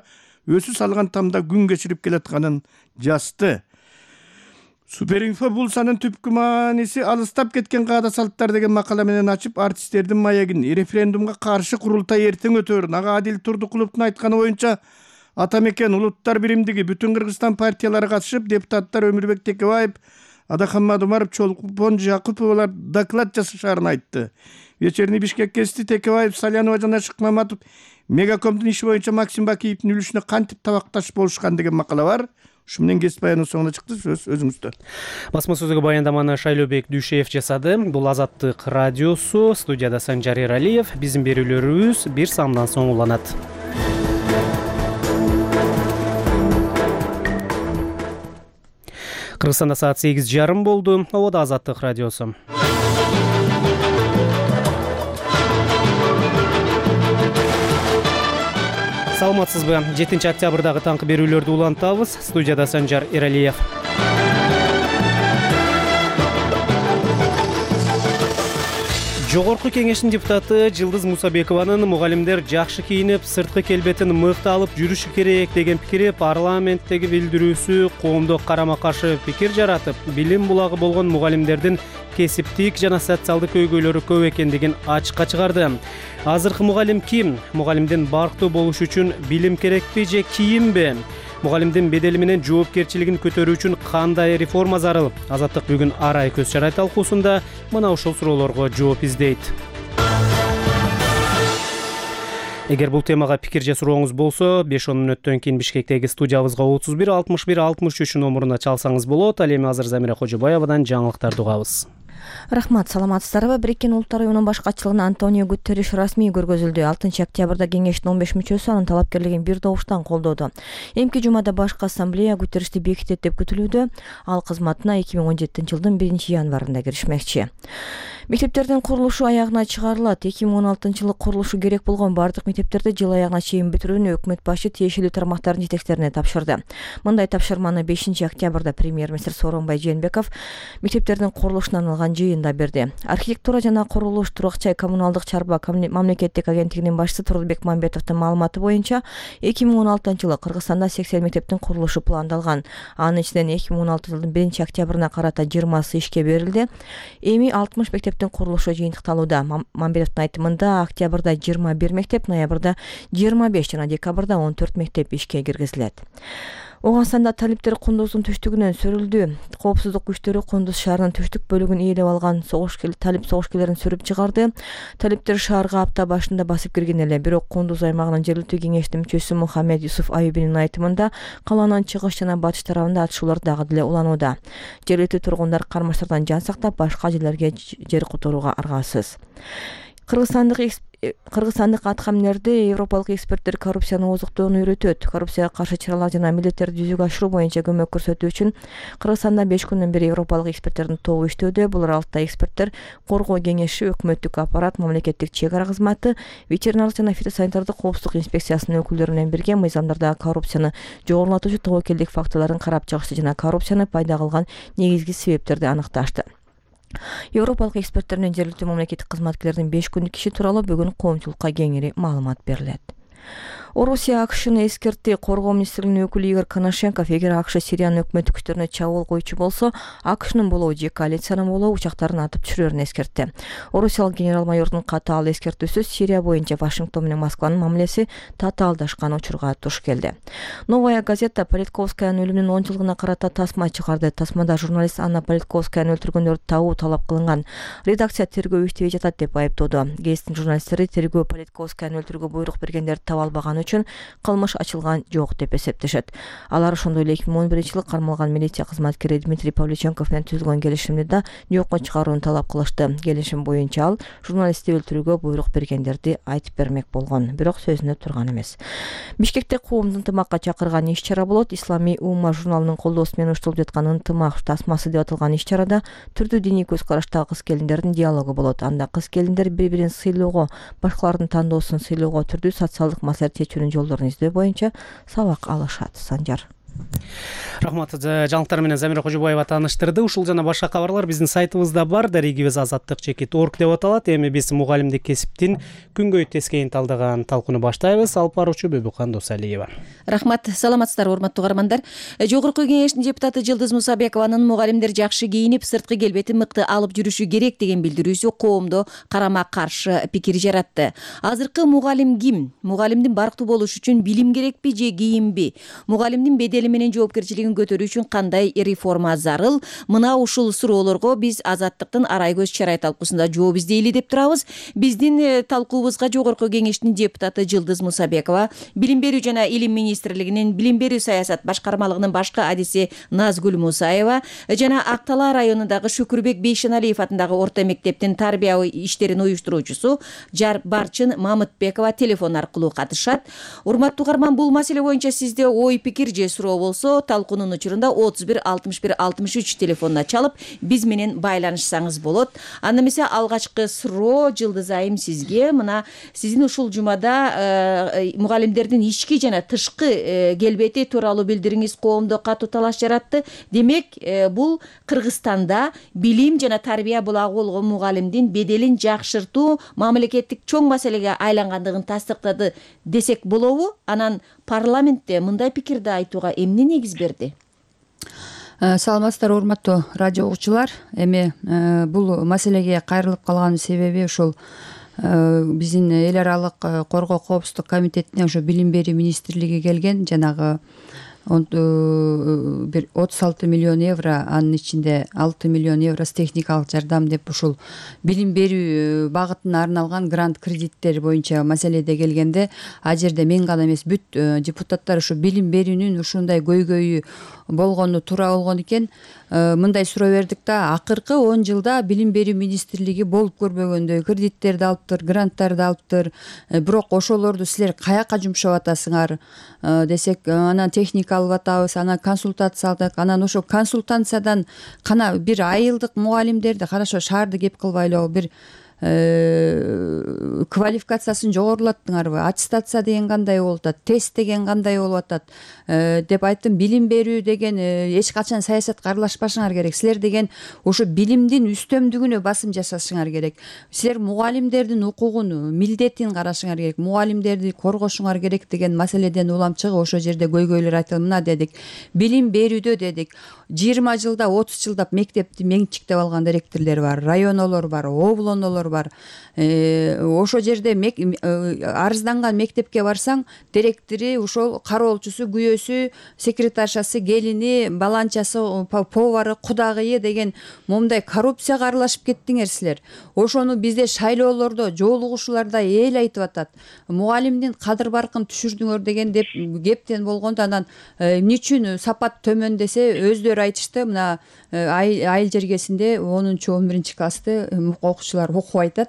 өсү салган тамда күн кечирип келатканын жазды. Суперинфо бул санын түпкү мааниси алыстап кеткен каада салттар деген макала менен ачып, артисттердин маегин референдумга каршы курултай эртең өтөөрүн, ага Адил Турдукуловдун айтканы боюнча ата мекен улуттар биримдиги бүтүн Кыргызстан партиялары катышып, депутаттар Өмүрбек Текебаев, Адахаммад Умаров, Чолпон Жакуповалар доклад жасашарын айтты. Вечерний Бишкек гезити Текебаев, Салянова жана Шыкмаматов Мегакомдун иши боюнча Максим Бакиевдин үлүшүнө кантип табакташ болушкан деген макала бар. Ушу менен кесип баянын соңуна чыкты. Сөз өзүңүздө. Басма сөзгө баяндаманы Шайлообек Дүйшеев жасады. Бул Азаттык радиосу. Студияда Санжар Эралиев. Биздин берүүлөрүбүз бир саамдан соң уланат. Кыргызстанда саат 8:30 болду. Ободо Азаттык радиосу. Саламатсызбы? 7 октябрдагы таңкы берүүлөрдү улантабыз. Студияда Санжар Эралиев. Жогорку кеңештин депутаты Жылдыз Мусабекованын мугалимдер жакшы кийинип, сырткы келбетин мыкты алып жүрүшү керек деген пикири парламенттеги билдирүүсү коомдо карама-каршы пикир жаратып, билим булагы болгон мугалимдердин кесиптик жана социалдык көйгөйлөрү көп экендигин ачыкка чыгарды. Азыркы мугалим ким? Мугалимдин барктуу болушу үчүн билим керекпи же кийимби? Мугалимдин бедели менен жоопкерчилигин көтөрүү үчүн кандай реформа зарыл? Азаттык бүгүн арай көз чарай талкуусунда мына ушул суроолорго жооп издейт. Эгер бул темага пикир же сурооңуз болсо, 5-10 мүнөттөн кийин Бишкектеги студиябызга 33 61 63 номуруна чалсаңыз болот. Ал эми азыр Замира Кожобаевадан жаңылыктарды угабыз. Рахмат, саламатсыздарбы? Бириккен Улуттар уюмунун башкачылыгына Антонио Гутерриш расмий көргөзүлдү. 6 октябрда кеңештин 15 мүчөсү анын талапкерлигин бир добуштан колдоду. Эмки жумада башкы ассамблея Гутерришти бекитет деп күтүлүүдө. Ал кызматына 2017-жылдын 1-январында киришмекчи. Мектептердин курулушу аягына чыгарылат. 2016-жылы курулушу керек болгон бардык мектептерди жыл аягына чейин бүтүрүүнү өкмөт башы тиешелүү тармактардын жетекчилерине тапшырды. Мындай тапшырманы 5 октябрда премьер-министр Сооронбай Жээнбеков мектептердин курулушуна арналган жыйында берди. Архитектура жана курулуш, Турак жай коммуналдык чарба мамлекеттик агенттигинин башчысы Турулбек Мамбетовдун маалыматы боюнча 2016-жылы Кыргызстанда 80 мектептин курулушу пландалган. Анын ичинен 2016-жылдын 1 октябрына карата 20сы ишке берилди. Эми 60 мектептин курулушу жыйынтыкталууда. Мамбетовдун айтымында октябрда 21 мектеп, ноябрда 25 жана декабрда 14 мектеп ишке киргизилет. Оңгонстанда талиптер Кундуздун түштүгүнөн сүрүлдү. Коопсуздук күчтөрү Кундуз шаарынын түштүк бөлүгүн ээлеп алган талип согушкерлерин сүрүп чыгарды. Талиптер шаарга апта башында басып кирген эле, бирок Кундуз аймагынын жергиликтүү кеңештин мүчөсү Мухаммед Юсуф Аюбинин айтымында калаанын чыгыш жана батыш тарабында атышуулар дагы деле уланууда. Жергиликтүү тургундар кармаштардан жан сактап, башка жерлерге жер которууга аргасыз. Кыргызстандык аткаминерди европалык эксперттер коррупцияны ооздуктоону үйрөтөт. Коррупцияга каршы чаралар жана милдеттерди жүзөгө ашыруу боюнча көмөк көрсөтүү үчүн Кыргызстанда 5 күндөн бери европалык эксперттердин тобу иштөөдө. Булар алты эксперттер коргоо кеңеши, өкмөттүк аппарат, мамлекеттик чек ара кызматы, ветеринардык жана фитосанитардык коопсуздук инспекциясынын өкүлдөрү менен бирге мыйзамдардагы коррупцияны жогорулатуучу тобокелдик фактыларын карап чыгышты жана коррупцияны пайда кылган негизги себептерди аныкташты. Европалык эксперттер менен жергиликтүү мамлекеттик кызматкерлердин 5 күндүк иши тууралуу бүгүн коомчулукка кеңири маалымат берилет. Орусия АКШны эскертти. Коргоо министрлигинин өкүлү Игорь Коношенков эгер АКШ Сириянын өкмөттүк күчтөрүнө чабуул коюучу болсо, АКШнын болобу же коалициянын болобу учактарын атып түшүрөрүн эскертти. Орусиялык генерал-майордун катаал эскертүүсү Сирия боюнча Вашингтон менен Москванын мамилеси татаалдашкан учурга туш келди. Новая газета Политковскаянын өлүмүнүн 10 жылдыгына карата тасма чыгарды. Тасмада журналист Анна Политковскаяны өлтүргөндөрдү табуу талап кылынган. Редакция тергөө иштебей жатат деп айыптоодо. Гезиттин журналисттери тергөө Политковскаяны өлтүрүүгө буйрук бергендерди таба албаган үчүн кылмыш ачылган жок деп эсептешет. Алар ошондой эле 2011-жылы кармалган милиция кызматкери Дмитрий Павличенков менен түзүлгөн келишимди да жокко чыгарууну талап кылышты. Келишим боюнча ал журналистти өлтүрүүгө буйрук бергендерди айтып бермек болгон, бирок сөзүнө турган эмес. Бишкекте коомду ынтымакка чакырган иш-чара болот. Исламий умма журналынын колдоосу менен уштурулуп жаткан ынтымак тасмасы деп аталган иш-чарада түрдүү диний көз караштагы кыз-келиндердин диалогу болот. Анда кыз-келиндер бири-бирин сыйлоого, башкалардын тандоосун сыйлоого, түрдүү социалдык маселе чечүүнүн жолдорун издөө боюнча сабак алышат. Санжар. Рахмат. Жаңылыктар менен Замира Кожобаева тааныштырды. Ушул жана башка кабарлар биздин сайтыбызда бар. Дарегибиз azаттык.org деп аталат. Эми биз мугалимдик кесиптин күнгөй тескейин талдаган талкууну баштайбыз. Алып баруучу Бөбүкан Досалиева. Рахмат. Саламатсыздарбы, урматтуу угармандар. Жогорку кеңештин депутаты Жылдыз Мусабекованын мугалимдер жакшы кийинип, сырткы келбетин мыкты алып жүрүшү керек деген билдирүүсү коомдо карама каршы пикир жаратты. Азыркы мугалим ким? Мугалимдин барктуу болушу үчүн билим керекпи же кийимби? Мугалимдин бедели менен жоопкерчилигин көтөрүү үчүн кандай реформа зарыл? Мына ушул суроолорго биз Азаттыктын Арай көз чарай талкуусунда жооп издейли деп турабыз. Биздин талкуубузга жогорку кеңештин депутаты Жылдыз Мусабекова, билим берүү жана илим министрлигинин билим берүү саясат башкармалыгынын башкы адиси Назгүл Мусаева жана Ак Талаа районундагы Шүкүрбек Бейшеналиев атындагы орто мектептин тарбия иштерин уюштуруучусу Барчын Мамытбекова телефон аркылуу катышат. Урматтуу угарман, бул маселе боюнча сизде ой пикир же суроо болсо талкуунун учурунда 31 61 63 телефонуна чалып биз менен байланышсаңыз болот. Анда эмесе алгачкы суроо Жылдыз айым сизге. Мына сиздин ушул жумада мугалимдердин ички жана тышкы келбети тууралуу билдириңиз коомдо катуу талаш жаратты. Демек, бул Кыргызстанда билим жана тарбия булагы болгон мугалимдин беделин жакшыртуу мамлекеттик чоң маселеге айлангандыгын тастыктады десек болобу? Анан парламентте мындай пикирди айтууга эмне негиз берди? Саламатсыздарбы, урматтуу радио угуучулар. Эми бул маселеге кайрылып калганын себеби ушул биздин эл аралык коргоо коопсуздук комитетине ошо билим берүү министрлиги келген, жанагы бир 36 миллион евро, анын ичинде 6 миллион евросы техникалык жардам деп ушул билим берүү багытына арналган грант кредиттер боюнча маселеде келгенде, ал жерде мен гана эмес, бүт депутаттар ушу билим берүүнүн ушундай көйгөйү болгону туура болгон экен. Мындай суроо бердик да, акыркы 10 жылда билим берүү министрлиги болуп көрбөгөндөй кредиттерди алыптыр, гранттарды алыптыр. Бирок ошолорду силер каяка жумшап атасыңар десек, анан техника алып атабыз, анан консультация алдык, анан ошо консультациядан кана бир айылдык мугалимдерди, карашо шаарды кеп кылбайлы, бир квалификациясын жогорулаттыңарбы, аттестация деген кандай болуп атат, тест деген кандай болуп атат деп айттым. Билим берүү деген эч качан саясатка аралашпашыңар керек. Силер деген ошо билимдин үстөмдүгүнө басым жасашыңар керек. Силер мугалимдердин укугун, милдетин карашыңар керек, мугалимдерди коргошуңар керек деген маселеден улам чыгып ошо жерде көйгөйлөр айтылды. Мына дедик, билим берүүдө дедик 20 жылда 30 жылдап мектепти менчиктеп алган директорлор бар, районолор бар, облонолор бар. Ошо жерде арызданган мектепке барсаң, директори, ошол кароолчусу, күйөөсү, секретаршасы, келини, баланчасы, повары, кудагыйы деген момундай коррупцияга аралашып кеттиңер силер. Ошону бизде шайлоолордо, жоолугушууларда эл айтып атат. Мугалимдин кадыр баркын түшүрдүңөр деген деп кептен болгондо, анан эмне үчүн сапат төмөндесе өздөрү айтышты. Мына айыл жергесинде 10-11 классты окуучулар окуп айтат,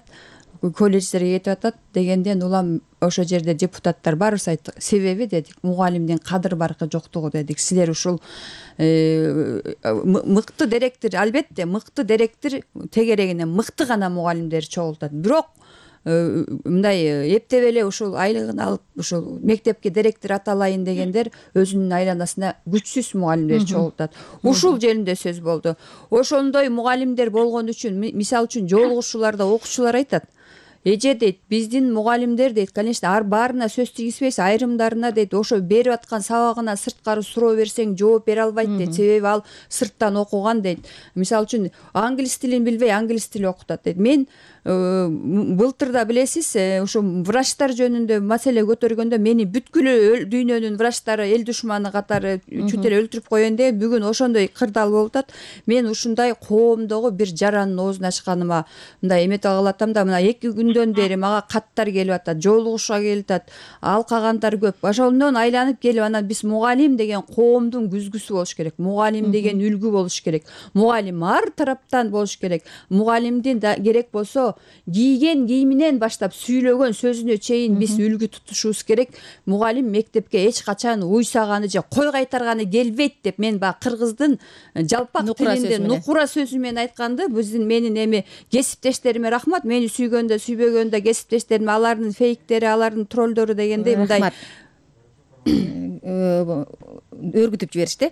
колледждерге кетип атат дегенден улам ошо жерде депутаттар баарыбыз айттык. Себеби дедик, мугалимдин кадыр баркы жоктугу дедик. Силер ушул мыкты директор, албетте мыкты директор тегерегине мыкты гана мугалимдер чогултат. Бирок мындай эптеп эле ушул айлыгын алып ушул мектепке директор аталайын дегендер өзүнүн айланасына күчсүз мугалимдер чогултат. Ушул жеринде сөз болду. Ошондой мугалимдер болгон үчүн, мисалы үчүн жоолугушууларда окуучулар айтат, эже дейт, биздин мугалимдер дейт, конечно, баарына сөз тийгизбейбиз, айрымдарына дейт, ошо берип аткан сабагына сырткары суроо берсең жооп бере албайт дейт, себеби ал сырттан окуган дейт. Мисалы үчүн англис тилин билбей, англис тили окутат дейт. Мен былтырда билесиз, ушу врачтар жөнүндө маселе көтөргөндө мени бүткүл дүйнөнүн врачтары эл душманы катары чүт эле өлтүрүп коеюн деген бүгүн ошондой кырдаал болуп атат. Мен ушундай коомдогу бир жарандын оозун ачканыма мындай эметип алгалы атам да, мына 2 күндөн бери мага каттар келип атат, жоолугушууга келип атат, алкагандар көп. Ошондон айланып келип, анан биз мугалим деген коомдун күзгүсү болуш керек, мугалим деген үлгү болуш керек, мугалим ар тараптан болуш керек. Мугалимдин керек болсо кийген кийиминен баштап сүйлөгөн сөзүнө чейин биз үлгү тутушубуз керек. Мугалим мектепке эч качан уйсаганы же кой кайтарганы келбейт деп мен баягы кыргыздын жалпак тилинде нукура сөзү менен айтканды, менин эми кесиптештериме рахмат, мени сүйгөндө сүйбөгөндө кесиптештерим, алардын фейктери, алардын троллдору дегендей мындай өргүтүп жиберишти.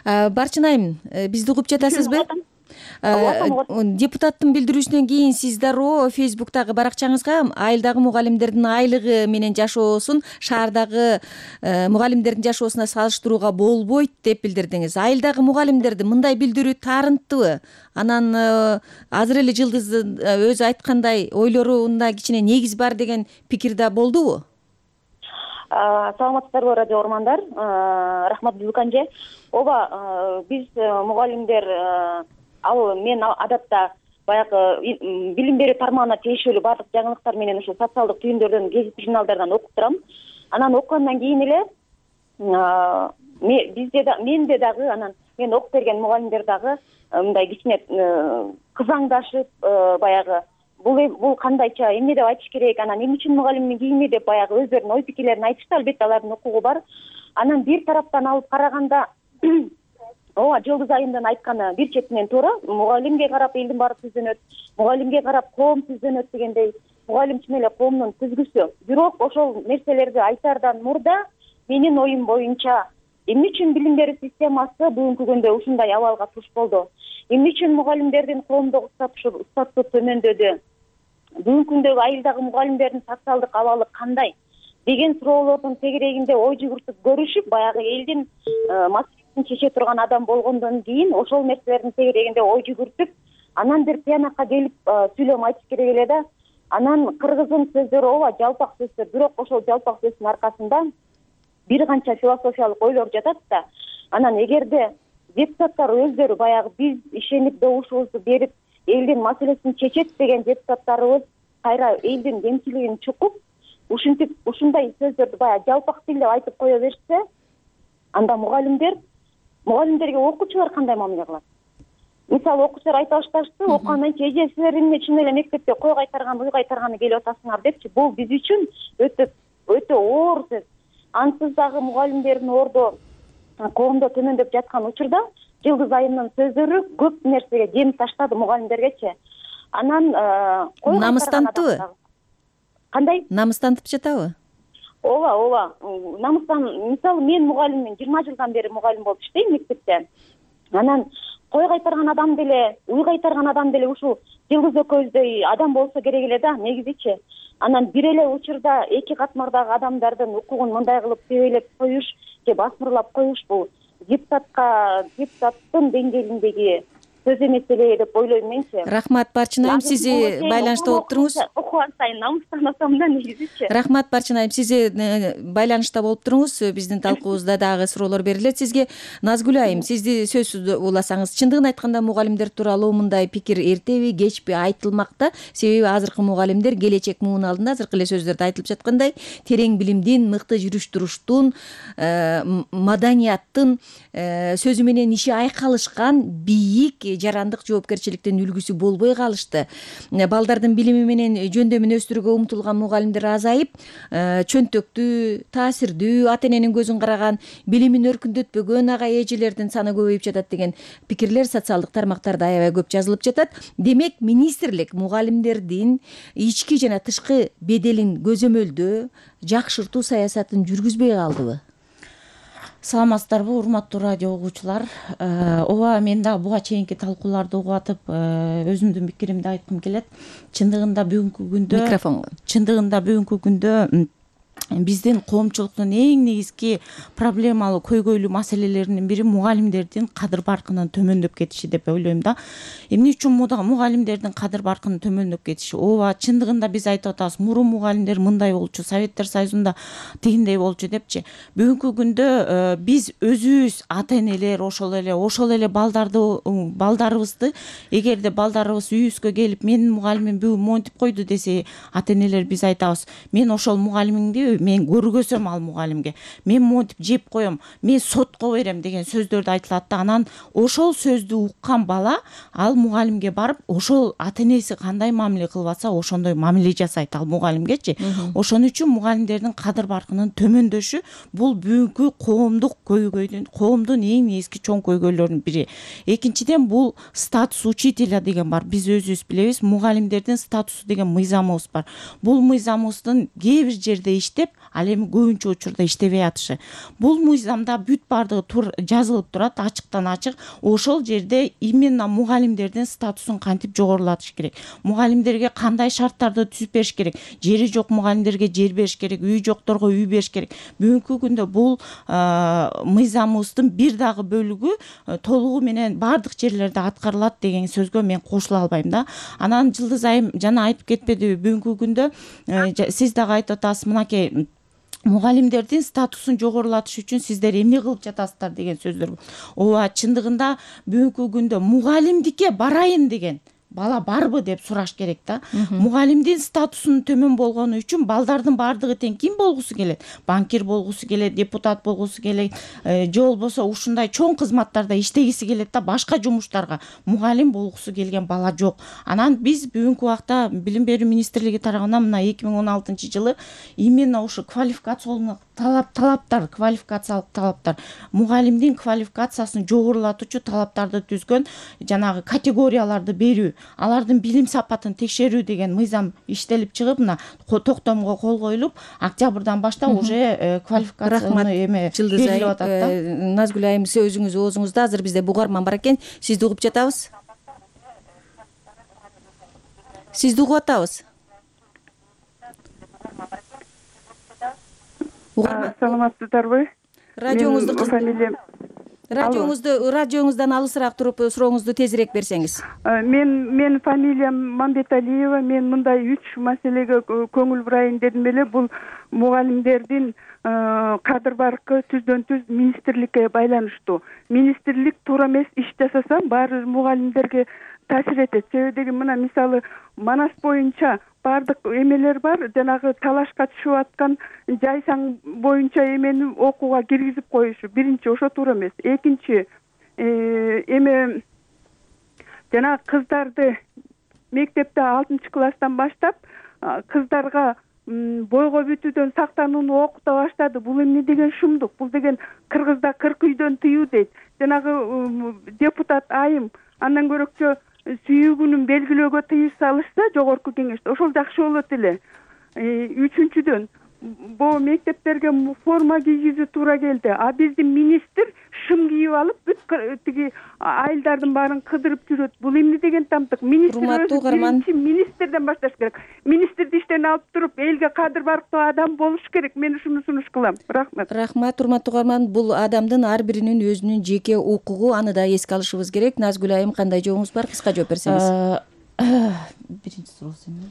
Барчын айым, бизди угуп жатасызбы? Депутаттын билдирүүсүнөн кийин сиз дароо Фейсбуктагы баракчаңызга айылдагы мугалимдердин айлыгы менен жашоосун шаардагы мугалимдердин жашоосуна салыштырууга болбойт деп билдирдиңиз. Айылдагы мугалимдерди мындай билдирүү таарынттыбы? Анан азыр эле Жылдыз өзү айткандай ойлорунда кичине негиз бар деген пикир да болдубу? Саламатсыздарбы, радио угармандар. Рахмат Бүканже. Ооба, биз мугалимдер мен адатта баягы билим берүү тармагына тиешелүү баардык жаңылыктар менен ушул социалдык түйүндөрдөн, гезит журналдардан окуп турам. Анан окугандан кийин эле менде дагы анан мен окуп берген мугалимдер дагы мындай кичине кызаңдашып, баягы бул кандайча эмне деп айтыш керек, анан эмне үчүн мугалимдин кийими деп баягы өздөрүнүн ой пикирлерин айтышты. Албетте алардын укугу бар. Анан бир тараптан алып караганда ооба, Жылдыз айымдын айтканы бир четинен туура. Мугалимге карап элдин баары түздөнөт, мугалимге карап коом түздөнөт дегендей, мугалим чын эле коомдун түзгүсү. Бирок ошол нерселерди айтаардан мурда менин оюм боюнча эмне үчүн билим берүү системасы бүгүнкү күндө ушундай абалга туш болду? Эмне үчүн мугалимдердин коомдогу статусу төмөндөдү? Бүгүнкү күндөгү айылдагы мугалимдердин социалдык абалы кандай деген суроолордун тегерегинде ой жүгүртүп көрүшүп, баягы элдин маселесин чече турган адам болгондон кийин ошол нерселердин тегерегинде ой жүгүртүп, анан бир тиянакка келип сүйлөм айтыш керек эле да. Анан кыргыздын сөздөрү ооба жалпак сөздөр, бирок ошол жалпак сөздүн аркасында бир канча философиялык ойлор жатат да. Анан эгерде депутаттар өздөрү баягы биз ишенип добушубузду берип элдин маселесин чечет деген депутаттарыбыз кайра элдин кемчилигин чукуп, ушинтип ушундай сөздөрдү баягы жалпак тилде айтып кое беришсе, анда мугалимдерге окуучулар кандай мамиле кылат? Мисалы, окуучулар айта башташты, окугандан кийин эжесилер эмне чын эле мектепте кой кайтарган, уй кайтарганы келип атасыңар депчи. Бул биз үчүн өтө оор сөз. Ансыз дагы мугалимдердин ордо коомдо төмөндөп жаткан учурда Жылдыз айымдын сөздөрү көп нерсеге дем таштады мугалимдергечи. Анан намыстантыбы? Кандай? Намыстантып жатабы? Ооба. Намыстан, мисалы, мен мугалиммин, 20 жылдан бери мугалим болуп иштейм мектепте. Анан кой кайтарган адам деле, уй кайтарган адам деле ушул Жылдыз экөөбүздөй адам болсо керек эле да, негизичи. Анан бир эле учурда эки катмардагы адамдардын укугун мындай кылып тебелеп коюш же басмырлап коюш бул депутаттын деңгээлиндеги сөз эмес эле деп ойлойм менчи. Рахмат Барчын айым, сизи байланышта болуп туруңуз. Окуган сайын намыстанасам да негизичи. Рахмат Барчын айым, сизи байланышта болуп туруңуз. Биздин талкуубузда дагы суроолор берилет сизге. Назгүл айым, сизди сөзсүз уласаңыз, чындыгын айтканда мугалимдер тууралуу мындай пикир эртеби, кечпи айтылмакта. Себеби азыркы мугалимдер келечек муун алдында азыркы эле сөздөрдө айтылып жаткандай, терең билимдин, мыкты жүрүш туруштун, маданияттын, сөзү менен иши айкалышкан бийик жарандык жоопкерчиликтин үлгүсү болбой калышты. Балдардын билими менен жөндөмүн өстүрүүгө умтулган мугалимдер азайып, чөнтөктүү, таасирдүү, ата эненин көзүн караган, билимин өркүндөтпөгөн агай эжелердин саны көбөйүп жатат деген пикирлер социалдык тармактарда аябай көп жазылып жатат. Демек, министрлик мугалимдердин ички жана тышкы беделин көзөмөлдөө, жакшыртуу саясатын жүргүзбөй калдыбы? Саламатсыздарбы, урматтуу радио угуучулар. Ооба, мен да буга чейинки талкууларды угуп атып, өзүмдүн пикиримди айткым келет. Чындыгында бүгүнкү күндө биздин коомчулуктун эң негизги проблемалуу көйгөйлүү маселелеринин бири мугалимдердин кадыр баркынын төмөндөп кетиши деп ойлойм да. Эмне үчүн мугалимдердин кадыр баркынын төмөндөп кетиши? Ооба, чындыгында биз айтып атабыз, мурун мугалимдер мындай болчу, Советтер Союзунда тигиндей болчу депчи. Бүгүнкү күндө биз өзүбүз ата энелер ошол эле балдарыбызды, эгерде балдарыбыз үйүбүзгө келип, менин мугалимим бүгүн монтип койду десе, ата энелер биз айтабыз, мен ошол мугалимиңди мен көргөзөм ал мугалимге, мен монтип жеп коем, мен сотко берем деген сөздөрдү айтылат да. Анан ошол сөздү уккан бала ал мугалимге барып, ошол ата энеси кандай мамиле кылып атса, ошондой мамиле жасайт ал мугалимгечи. Ошон үчүн мугалимдердин кадыр баркынын төмөндөшү бул бүгүнкү коомдук көйгөйдүн, коомдун эң негизги чоң көйгөйлөрүнүн бири. Экинчиден, бул статус учителя деген бар. Биз өзүбүз билебиз, мугалимдердин статусу деген мыйзамыбыз бар. Бул мыйзамыбыздын кээ бир жерде иштеп, иштеп, ал эми көбүнчө учурда иштебей атышы. Бул мыйзамда бүт бардыгы жазылып турат, ачыктан ачык. Ошол жерде именно мугалимдердин статусун кантип жогорулатыш керек, мугалимдерге кандай шарттарды түзүп бериш керек, жери жок мугалимдерге жер бериш керек, үй жокторго үй бериш керек. Бүгүнкү күндө бул мыйзамыбыздын бир дагы бөлүгү толугу менен бардык жерлерде аткарылат деген сөзгө мен кошула албайм да. Анан Жылдыз айым жана айтып кетпедиби, бүгүнкү күндө сиз дагы айтып атасыз, мынакей мугалимдердин статусун жогорулатыш үчүн сиздер эмне кылып жатасыздар деген сөздөр. Ооба, чындыгында бүгүнкү күндө мугалимдикке барайын деген бала барбы деп сураш керек да. Мугалимдин статусунун төмөн болгону үчүн балдардын бардыгы тең ким болгусу келет? Банкир болгусу келет, депутат болгусу келет, же болбосо ушундай чоң кызматтарда иштегиси келет да, башка жумуштарга. Мугалим болгусу келген бала жок. Анан биз бүгүнкү убакта Билим берүү министрлиги тарабынан мына 2016 жылы именно ушу квалификациялык талаптар, мугалимдин квалификациясын жогорулатуучу талаптарды түзгөн жанагы категорияларды берүү, алардын билим сапатын текшерүү деген мыйзам иштелип чыгып, мына токтомго кол коюлуп, октябрдан баштап уже квалификацияны берилип атат да. Назгүл айым, сөзүңүз оозуңузда. Азыр бизде бугарман бар экен. Сизди угуп жатабыз. Сизди угуп атабыз. Саламатсыздарбы? Радиоңуздан алысыраак туруп сурооңузду тезирээк берсеңиз. Мен фамилиям Мамбеталиева. Мен мындай 3 маселеге көңүл бурайын дедим эле. Бул мугалимдердин кадыр баркы түздөн-түз министрликке байланыштуу. Министрлик туура эмес иш жасаса, баары мугалимдерге таасир этет. Себеби мына мисалы Манас боюнча бардык эмелер бар, жанагы талашка түшүп аткан жайсаң боюнча эмени окууга киргизип коюшу. Биринчи ошо туура эмес. Экинчи эме жанагы кыздарды мектепте 6-класстан баштап кыздарга бойго бүтүүдөн сактанууну окута баштады. Бул эмне деген шумдук? Бул деген Кыргызда 40 үйдөн тыюу дейт. Жанагы депутат айым андан көрөкчө сүйүүгүнүн белгилөөгө тыюу салышса жогорку кеңеште ошол жакшы болот эле. Үчүнчүдөн бул мектептерге форма кийгизүү туура келди. А биздин министр шым кийип алып бүт тиги айылдардын баарын кыдырып жүрөт. Бул эмне деген тамтык? Министрден башташ керек. Министрди иштен алып туруп, элге кадыр барктуу адам болуш керек. Мен ушуну сунуш кылам. Рахмат. Рахмат, урматтуу угарман. Бул адамдын ар биринин өзүнүн жеке укугу, аны да эске алышыбыз керек. Назгүл айым, кандай жообуңуз бар? Кыска жооп берсеңиз. Биринчи суроосу эмне?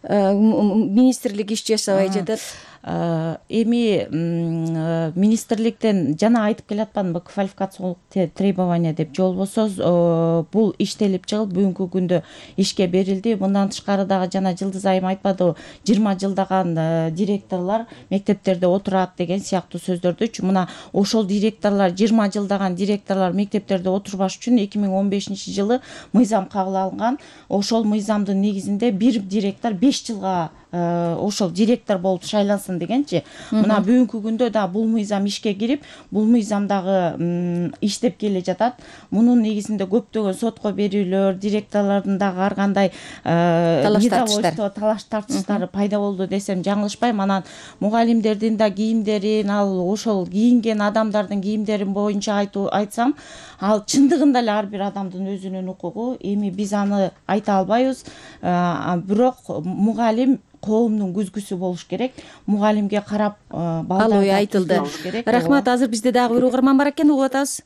Министрлик иш жасабай жатат. Эми министрликтен жана айтып келатпадымбы, квалификациялык требования деп, же болбосо бул иштелип чыгып бүгүнкү күндө ишке берилди. Мындан тышкары дагы жана Жылдыз айым айтпадыбы, 20 жылдаган директорлор мектептерде отурат деген сыяктуу сөздөрдүчү. Мына ошол директорлор, 20 жылдаган директорлор мектептерде отурбаш үчүн 2015 жылы мыйзам кабыл алынган. Ошол мыйзамдын негизинде бир директор 5 жылга ошол директор болуп шайлансын дегенчи. Мына бүгүнкү күндө да бул мыйзам ишке кирип, бул мыйзам дагы иштеп келе жатат. Мунун негизинде көптөгөн сотко берүүлөр, директорлордун дагы ар кандай талаш тартыштары пайда болду десем жаңылышпайм. Анан мугалимдердин да кийимдерин, ал ошол кийинген адамдардын кийимдерин боюнча айтсам, ал чындыгында эле ар бир адамдын өзүнүн укугу. Эми биз аны айта албайбыз. Бирок мугалим коомдун күзгүсү болуш керек. Мугалимге карап ал ой айтылды. Рахмат. Азыр бизде дагы бир угарман бар экен, угуп атабыз.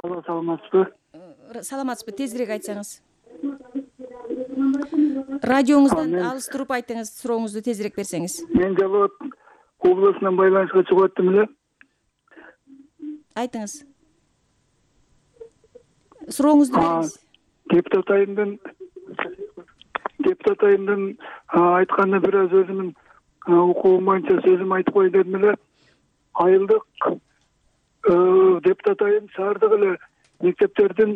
Алло, саламатсызбы? Саламатсызбы, тезирээк айтсаңыз. Радиоңуздан алыс туруп айтыңыз, сурооңузду тезирээк берсеңиз. Мен Жалал облусунан байланышка чыгып аттым эле. Айтыңыз. Сурооңузду бериңиз. Депутат айымдын айтканына бир аз өзүмдүн укугум боюнча сөзүм айтып коеюн дедим эле. Айылдык депутат айым шаардык эле мектептердин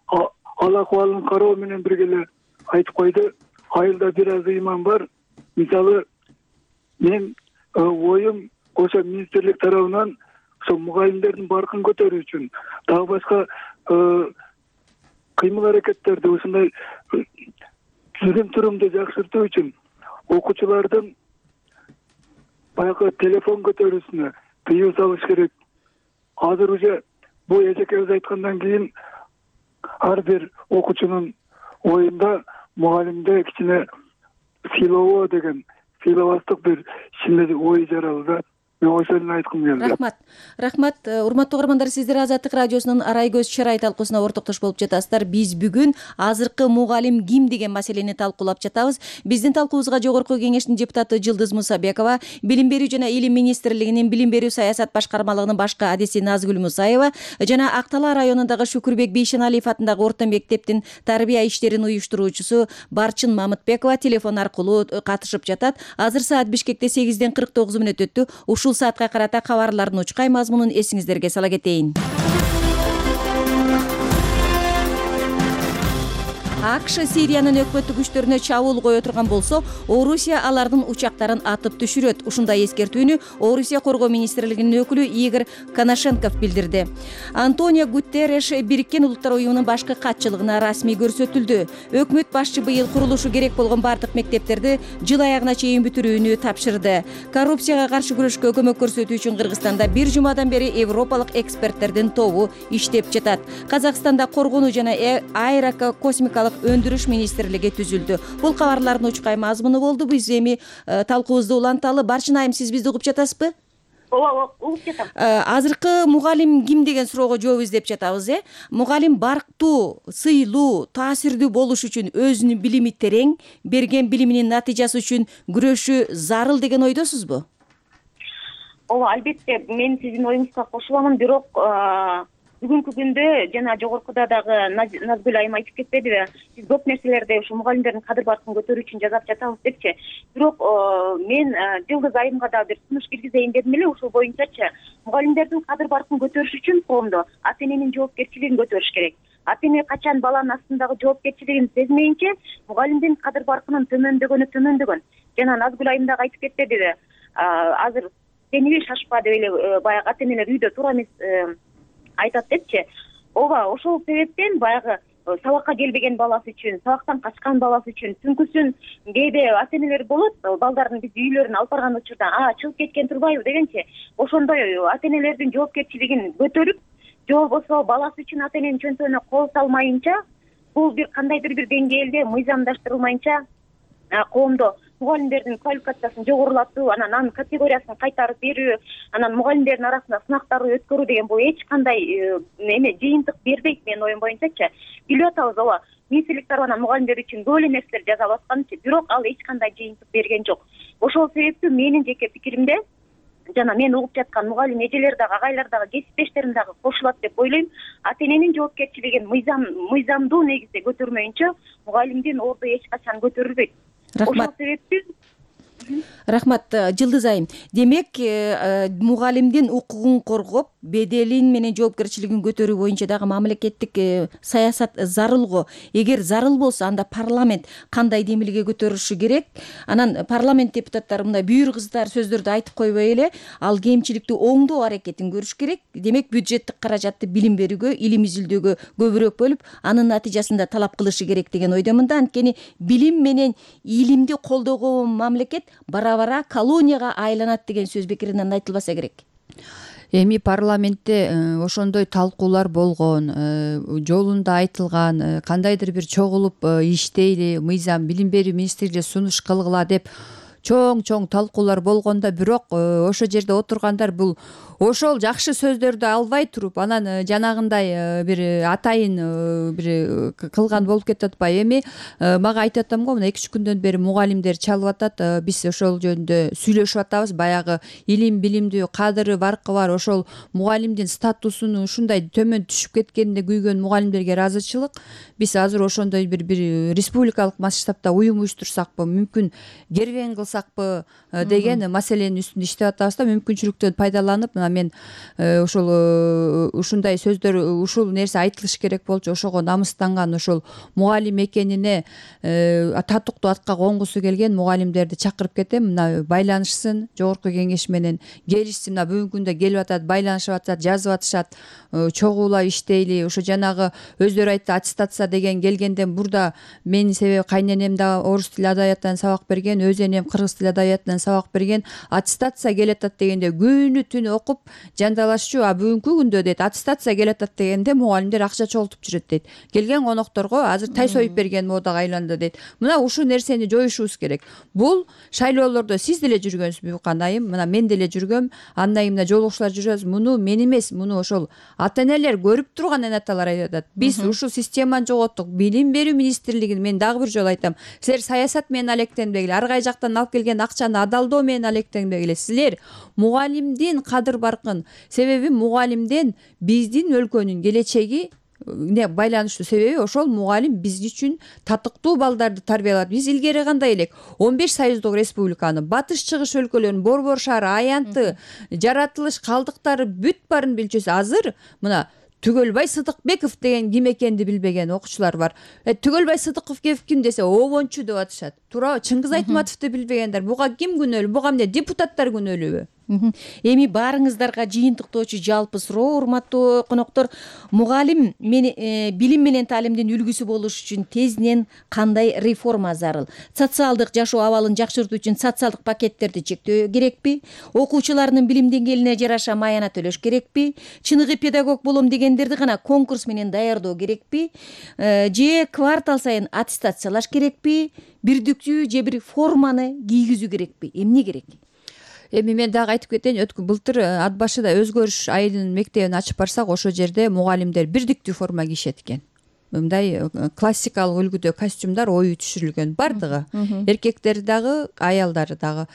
ал акыбалын кароо менен бирге эле айтып койду. Айылда бир аз ыйман бар. Мисалы, мен оюм ошо министрлик тарабынан ошо мугалимдердин баркын көтөрүү үчүн, дагы башка кыймыл аракеттерди ушундай жүрүм турумду жакшыртуу үчүн окуучулардын баягы телефон көтөрүүсүнө тыюу салыш керек. Азыр уже бул эжекебиз айткандан кийин ар бир окуучунун оюнда мугалимде кичине сыйлоо деген сыйлабастык бир кичине ой жаралды да. Мен ошону айткым келди. Рахмат. Урматтуу угармандар, сиздер Азаттык радиосунун Арай көз чырай талкуусуна ортоктош болуп жатасыздар. Биз бүгүн азыркы мугалим ким деген маселени талкуулап жатабыз. Биздин талкуубузга Жогорку Кеңештин депутаты Жылдыз Мусабекова, Билим берүү жана Илим министрлигинин Билим берүү саясат башкармалыгынын башкы адиси Назгүл Мусаева жана Ак Талаа районундагы Шүкүрбек Бейшеналиев атындагы орто мектептин тарбия иштерин уюштуруучусу Барчын Мамытбекова телефон аркылуу катышып жатат. Азыр саат Бишкекте 8:49 өттү. Ушул саатка карата кабарлардын учкай мазмунун эсиңиздерге сала кетейин. АКШ Сириянын өкмөттүк күчтөрүнө чабуул кое турган болсо, Орусия алардын учактарын атып түшүрөт. Ушундай эскертүүнү Орусия коргоо министрлигинин өкүлү Игорь Коношенков билдирди. Антонио Гутерреш Бириккен Улуттар уюмунун башкы катчылыгына расмий көрсөтүлдү. Өкмөт башчы быйыл курулушу керек болгон бардык мектептерди жыл аягына чейин бүтүрүүнү тапшырды. Коррупцияга каршы күрөшкө көмөк көрсөтүү үчүн Кыргызстанда бир жумадан бери европалык эксперттердин тобу иштеп жатат. Казакстанда коргонуу жана аэрокосмикалык өндүрүш министрлиги түзүлдү. Бул кабарлардын учкай мазмуну болду. Биз эми талкуубузду уланталы. Барчын айым, сиз бизди угуп жатасызбы? Ооба, угуп жатам. Азыркы мугалим ким деген суроого жооп издеп жатабыз. Мугалим барктуу, сыйлуу, таасирдүү болуш үчүн өзүнүн билими терең, берген билиминин натыйжасы үчүн күрөшү зарыл деген ойдосузбу? Ооба, албетте, мен сиздин оюңузга кошуламын, бирок бүгүнкү күндө жана жогоркуда дагы Назгүл айым айтып кетпедиби? Биз көп нерселерди ушу мугалимдердин кадыр баркын көтөрүү үчүн жасап жатабыз депчи. Бирок мен Жылдыз айымга да бир сунуш киргизейин дедим эле ушул боюнчачы. Мугалимдердин кадыр баркын көтөрүш үчүн коомдо ата эненин жоопкерчилигин көтөрүш керек. Ата эне качан баланын астындагы жоопкерчилигин сезмейинче мугалимдин кадыр баркынын төмөндөгөн. Жана Назгүл айым дагы айтып кетпедиби? Азыр сениби шашпа деп эле баягы ата энелер үйдө туура эмес айтат депчи. Ооба, ошол себептен баягы сабакка келбеген баласы үчүн, сабактан качкан баласы үчүн түнкүсүн кээде ата энелер болот, балдарын биз үйлөрүнө алып барган учурда чыгып кеткен турбайбы дегенчи. Ошондой ата энелердин жоопкерчилигин көтөрүп, же болбосо баласы үчүн ата эненин чөнтөгүнө кол салмайынча, бул бир кандайдыр бир деңгээлде мыйзамдаштырылмайынча коомдо мугалимдердин квалификациясын жогорулатуу, анан анын категориясын кайтарып берүү, анан мугалимдердин арасында сынактарды өткөрүү деген бул эч кандай жыйынтык бербейт менин оюм боюнчачы. Билип атабыз, ооба, министрлик тарабынан мугалимдер үчүн көп эле нерселер жасалып атканчы, бирок ал эч кандай жыйынтык берген жок. Ошол себептүү менин жеке пикиримде жана мен угуп жаткан мугалим эжелер дагы, агайлар дагы, кесиптештерим дагы кошулат деп ойлойм. Ата эненин жоопкерчилигин мыйзамдуу негизде көтөрмөйүнчө мугалимдин орду эч качан көтөрүлбөйт. Рахмат. Рахмат, Жылдыз айым. Демек, мугалимдин укугун коргоп, беделин менен жоопкерчилигин көтөрүү боюнча дагы мамлекеттик саясат зарыл го. Эгер зарыл болсо, анда парламент кандай демилге көтөрүшү керек? Анан парламент депутаттары мындай бүйүр кыздар сөздөрдү айтып койбой эле, ал кемчиликти оңдоо аракетин көрүш керек. Демек, бюджеттик каражатты билим берүүгө, илим изилдөөгө көбүрөөк бөлүп, анын натыйжасында талап кылышы керек деген ойдомун да. Анткени билим менен илимди колдогон мамлекет бара-бара колонияга айланат деген сөз бекеринен айтылбаса керек. Эми парламентте ошондой талкуулар болгон, жолунда айтылган, кандайдыр бир чогулуп иштейли, мыйзам билим берүү министрлигине сунуш кылгыла деп чоң талкуулар болгондо, бирок ошол жерде отургандар бул ошол жакшы сөздөрдү албай туруп, анан жанагындай бир атайын бир кылган болуп кетип атпайбы? Эми мага айтып атам го, мына 2-3 күндөн бери мугалимдер чалып атат, биз ошол жөнүндө сүйлөшүп атабыз. Баягы илим, билимдүү, кадыры, баркы бар ошол мугалимдин статусунун ушундай төмөн түшүп кеткенине күйгөн мугалимдерге ыраазычылык. Биз азыр ошондой бир республикалык масштабта уюм уюштурсакпы, мүмкүн кербен кылсакпы деген маселенин үстүндө иштеп атабыз да, мүмкүнчүлүктөн пайдаланып мен ушундай сөздөр, ушул нерсе айтылыш керек болчу, ошого намыстанган, ошол мугалим экенине татыктуу атка конгусу келген мугалимдерди чакырып кетем. Мына байланышсын, жогорку кеңеш менен келишсин. Мына бүгүнкү күндө келип атат, байланышып атат, жазып атышат, чогуулап иштейли. Ошо жанагы өздөрү айтты, аттестация деген келгенден бурда менин себеби кайненем да орус тили адабиятынан сабак берген, өз энем кыргыз кыргыз тили адабиятынан сабак берген, аттестация келатат дегенде күнү түнү окуп жандалашчу, а бүгүнкү күндө дейт аттестация келатат дегенде мугалимдер акча чогултуп жүрөт дейт. Келген конокторго азыр тай союп берген модага айланды дейт. Мына ушул нерсени жоюшубуз керек. Бул шайлоолордо сиз деле жүргөнсүзбү канайым, мына мен деле жүргөм, андан кийин мына жолугушуулар жүрөбүз. Муну мен эмес, муну ошол ата-энелер көрүп турган анаталар айтып атат. Биз ушул системаны жоготтук. Билим берүү министрлигин мен дагы бир жолу айтам. Силер саясат менен алектенбегиле, ар кай жактан алып келген акчаны адалдоо менен алектенбегиле. Силер мугалимдин кадыр баркын, себеби мугалимден биздин өлкөнүн келечеги байланыштуу. Себеби ошол мугалим биз үчүн татыктуу балдарды тарбиялап. Биз илгери кандай элек 15 союздук республиканы, батыш чыгыш өлкөлөрүн, Борбор шаары, Аянты, жаратылыш калдыктары бүт барын билчүбүз. Азыр мына Түгөлбай Сыдыкбеков деген ким экенди билбеген окуучулар бар. Түгөлбай Сыдыкбеков ким десе обончу деп атышат. Туурабы? Чыңгыз Айтматовду билбегендер. Буга ким күнөөлүү? Буга эмне депутаттар күнөөлүүбү? Эми баарыңыздарга жыйынтыктоочу жалпы суроо, урматтуу коноктор, мугалим билим менен таалимдин үлгүсү болуш үчүн тезинен кандай реформа зарыл? Социалдык жашоо абалын жакшыртуу үчүн социалдык пакеттерди чектөө керекпи? Окуучулардын билим деңгээлине жараша маяна төлөш керекпи? Чыныгы педагог болом дегендерди гана конкурс менен даярдоо керекпи? Же квартал сайын аттестациялаш керекпи? Бирдиктүү же бир форманы кийгизүү керекпи? Эмне керек? Эми мен дагы айтып кетейин, былтыр ат башыда өзгөрүш айылынын мектебин ачып барсак, ошол жерде мугалимдер бирдиктүү форма кийишет экен. Мындай классикалык үлгүдө костюмдар ою түшүрүлгөн бардыгы. Эркектер дагы, аялдары дагы.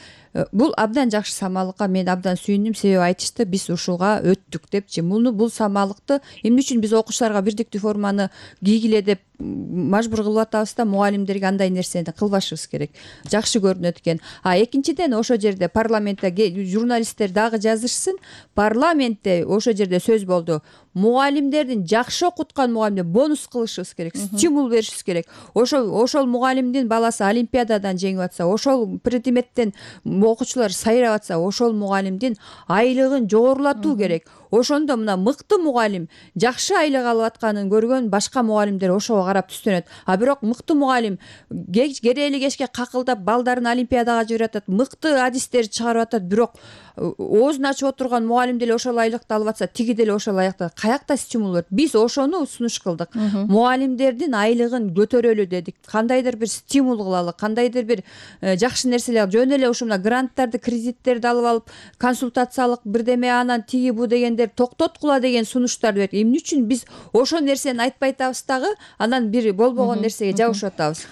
Бул абдан жакшы самалыкка мен абдан сүйүндүм, себеби айтышты биз ушуга өттүк депчи. Бул самалыкты эмне үчүн биз окуучуларга бирдиктүү форманы кийгиле деп мажбур кылып атабыз да, мугалимдерге андай нерсени кылбашыбыз керек. Жакшы көрүнөт экен. Экинчиден ошол жерде парламентте журналисттер дагы жазышсын. Парламентте ошол жерде сөз болду. Мугалимдердин жакшы окуткан мугалимдер бонус кылышыбыз керек, стимул беришибиз керек. Ошол мугалимдин баласы олимпиададан жеңип атса, ошол предметтен окуучулар сайрап атса, ошол мугалимдин айлыгын жогорулатуу керек. Ошондо мына мыкты мугалим жакшы айлык алып атканын көргөн башка мугалимдер ошого карап түстөнөт. Бирок мыкты мугалим керели кечке какылдап балдарын олимпиадага жиберип атат, мыкты адистерди чыгарып атат, бирок оозун ачып отурган мугалим деле ошол айлыкты алып атса, тиги деле ошол айлыкты. Каякта стимул бар? Биз ошону сунуш кылдык. Мугалимдердин айлыгын көтөрөлү дедик. Кандайдыр бир стимул кылалы, кандайдыр бир жакшы нерселер, жөн эле ушул кранттарды, кредиттерди алып алып, консультациялык бирдеме, анан тиги бу дегендер токтоткула деген сунуштарды берет. Эмне үчүн биз ошол нерсени айтпай атабыз дагы, анан бир болбогон нерсеге жабышып атабыз?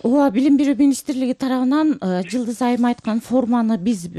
Ооба, билим берүү министрлиги тарабынан Жылдыз айым айткан форманы биз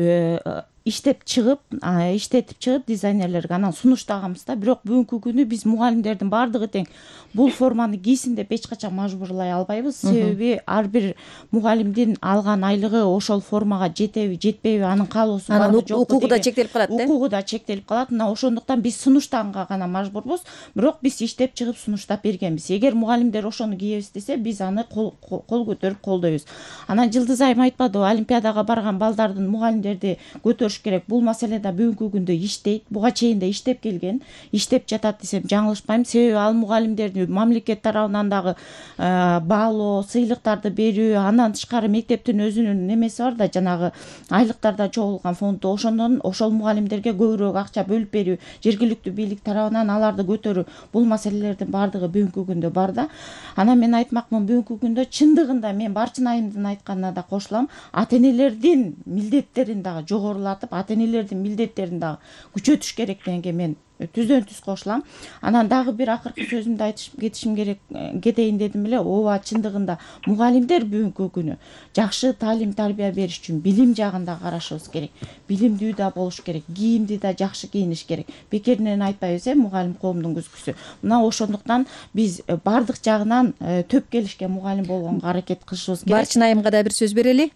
иштетип чыгып дизайнерлерге анан сунуштаганбыз да. Бирок бүгүнкү күнү биз мугалимдердин баардыгы тең бул форманы кийсин деп эч качан мажбурлай албайбыз. Себеби ар бир мугалимдин алган айлыгы ошол формага жетеби, жетпейби, анын каалоосу барбы жокпу, укугу да чектелип калат. Укугу да чектелип калат. Мына ошондуктан биз сунуштаганга гана мажбурбуз. Бирок биз иштеп чыгып сунуштап бергенбиз. Эгер мугалимдер ошону кийебиз десе, биз аны кол көтөрүп колдойбуз. Анан Жылдыз айым айтпадыбы, олимпиадага барган балдардын мугалимдерди көтөрүш керек. Бул маселе да бүгүнкү күндө иштейт. Буга чейин да иштеп келген, иштеп жатат десем жаңылышпайм. Себеби ал мугалимдерди мамлекет тарабынан дагы баалоо, сыйлыктарды берүү, андан тышкары мектептин өзүнүн немеси бар да, жанагы айлыктарда чогулган фонду, ошондон ошол мугалимдерге көбүрөөк акча бөлүп берүү, жергиликтүү бийлик тарабынан аларды көтөрүү, бул маселелердин баардыгы бүгүнкү күндө бар да. Анан мен айтмакмын, бүгүнкү күндө чындыгында мен Барчын айымдын айтканына да кошулам, ата-энелердин милдеттерин дагы жогорулатып, ата-энелердин милдеттерин дагы күчөтүш керек дегенге мен түздөн түз кошулам. Анан дагы бир акыркы сөзүмдү айтып кетейин дедим эле. Ооба, чындыгында мугалимдер бүгүнкү күнү жакшы таалим тарбия бериш үчүн билим жагында карашыбыз керек. Билимдүү да болуш керек, кийимди да жакшы кийиниш керек. Бекеринен айтпайбыз, мугалим коомдун күзгүсү. Мына ошондуктан биз бардык жагынан төп келишке мугалим болгонго аракет кылышыбыз керек. Барчын айымга да бир сөз берели.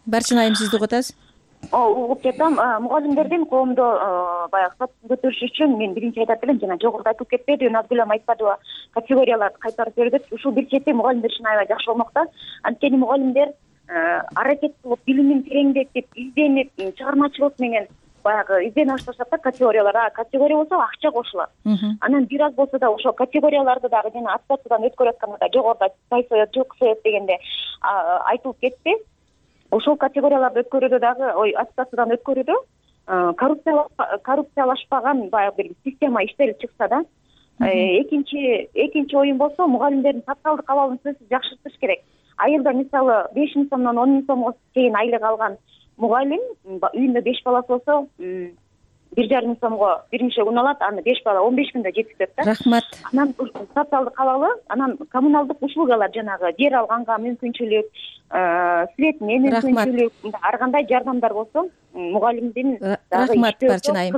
Барчын айым, сизди угуп атабыз. Угуп жатам. Мугалимдердин коомдо баягы статусун көтөрүш үчүн мен биринчи айтат элем, жана жогоруда айтылып кетпеди, Назгүл айым айтпадыбы, категорияларды кайтарып бердик. Ушул бир чети мугалимдер үчүн аябай жакшы болмокта. Анткени мугалимдер аракет кылып, билимин тереңдетип, изденип, чыгармачылык менен баягы издене башташат да категориялар. Категория болсо акча кошулат. Анан бир аз болсо да ошол категорияларды дагы жана аттестациядан өткөрүп атканда жогоруда тай соет, жок соет дегенде айтылып кетти. ошол категорияларды өткөрүүдө дагы аттестациядан өткөрүүдө коррупциялашпаган баягы бир система иштелип чыкса да. Экинчи оюм болсо мугалимдердин социалдык абалын сөзсүз жакшыртыш керек. Айылда мисалы 5 миң сомдон 10 миң сомго чейин айлык алган мугалим үйүндө 5 баласы болсо 1,5 миң сомго биринчи күн алат, аны 5 бала 15 күндө жеткизет да. Рахмат. Анан социалдык абалы, анан коммуналдык услугалар жанагы жер алганга мүмкүнчүлүк, светине мүмкүнчүлүк, ар кандай жардамдар болсо мугалимдин рахмат Барчын айым.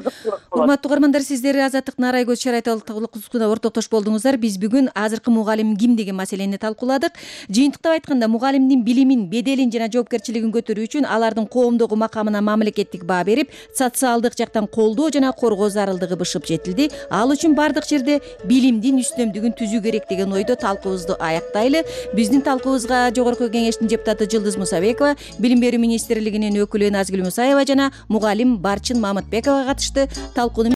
Урматтуу угармандар, сиздер Азаттык Наарай көз чарайталыкта ортоктош болдуңуздар. Биз бүгүн азыркы мугалим ким деген маселени талкууладык. Жыйынтыктап айтканда, мугалимдин билимин, беделин жана жоопкерчилигин көтөрүү үчүн алардын коомдогу макамына мамлекеттик баа берип, социалдык жактан колдоо жана коргоо зарылдыгы бышып жетилди. Ал үчүн бардык жерде билимдин үстөмдүгүн түзүү керек деген ойдо талкуубузду аяктайлы. Биздин талкуубузга Жогорку Кеңештин депутаты Жылдыз Мусабекова, Билим берүү министрлигинин өкүлү Назгүл Мусаева жана мугалим Барчын Мамытбекова катышты. Талкууну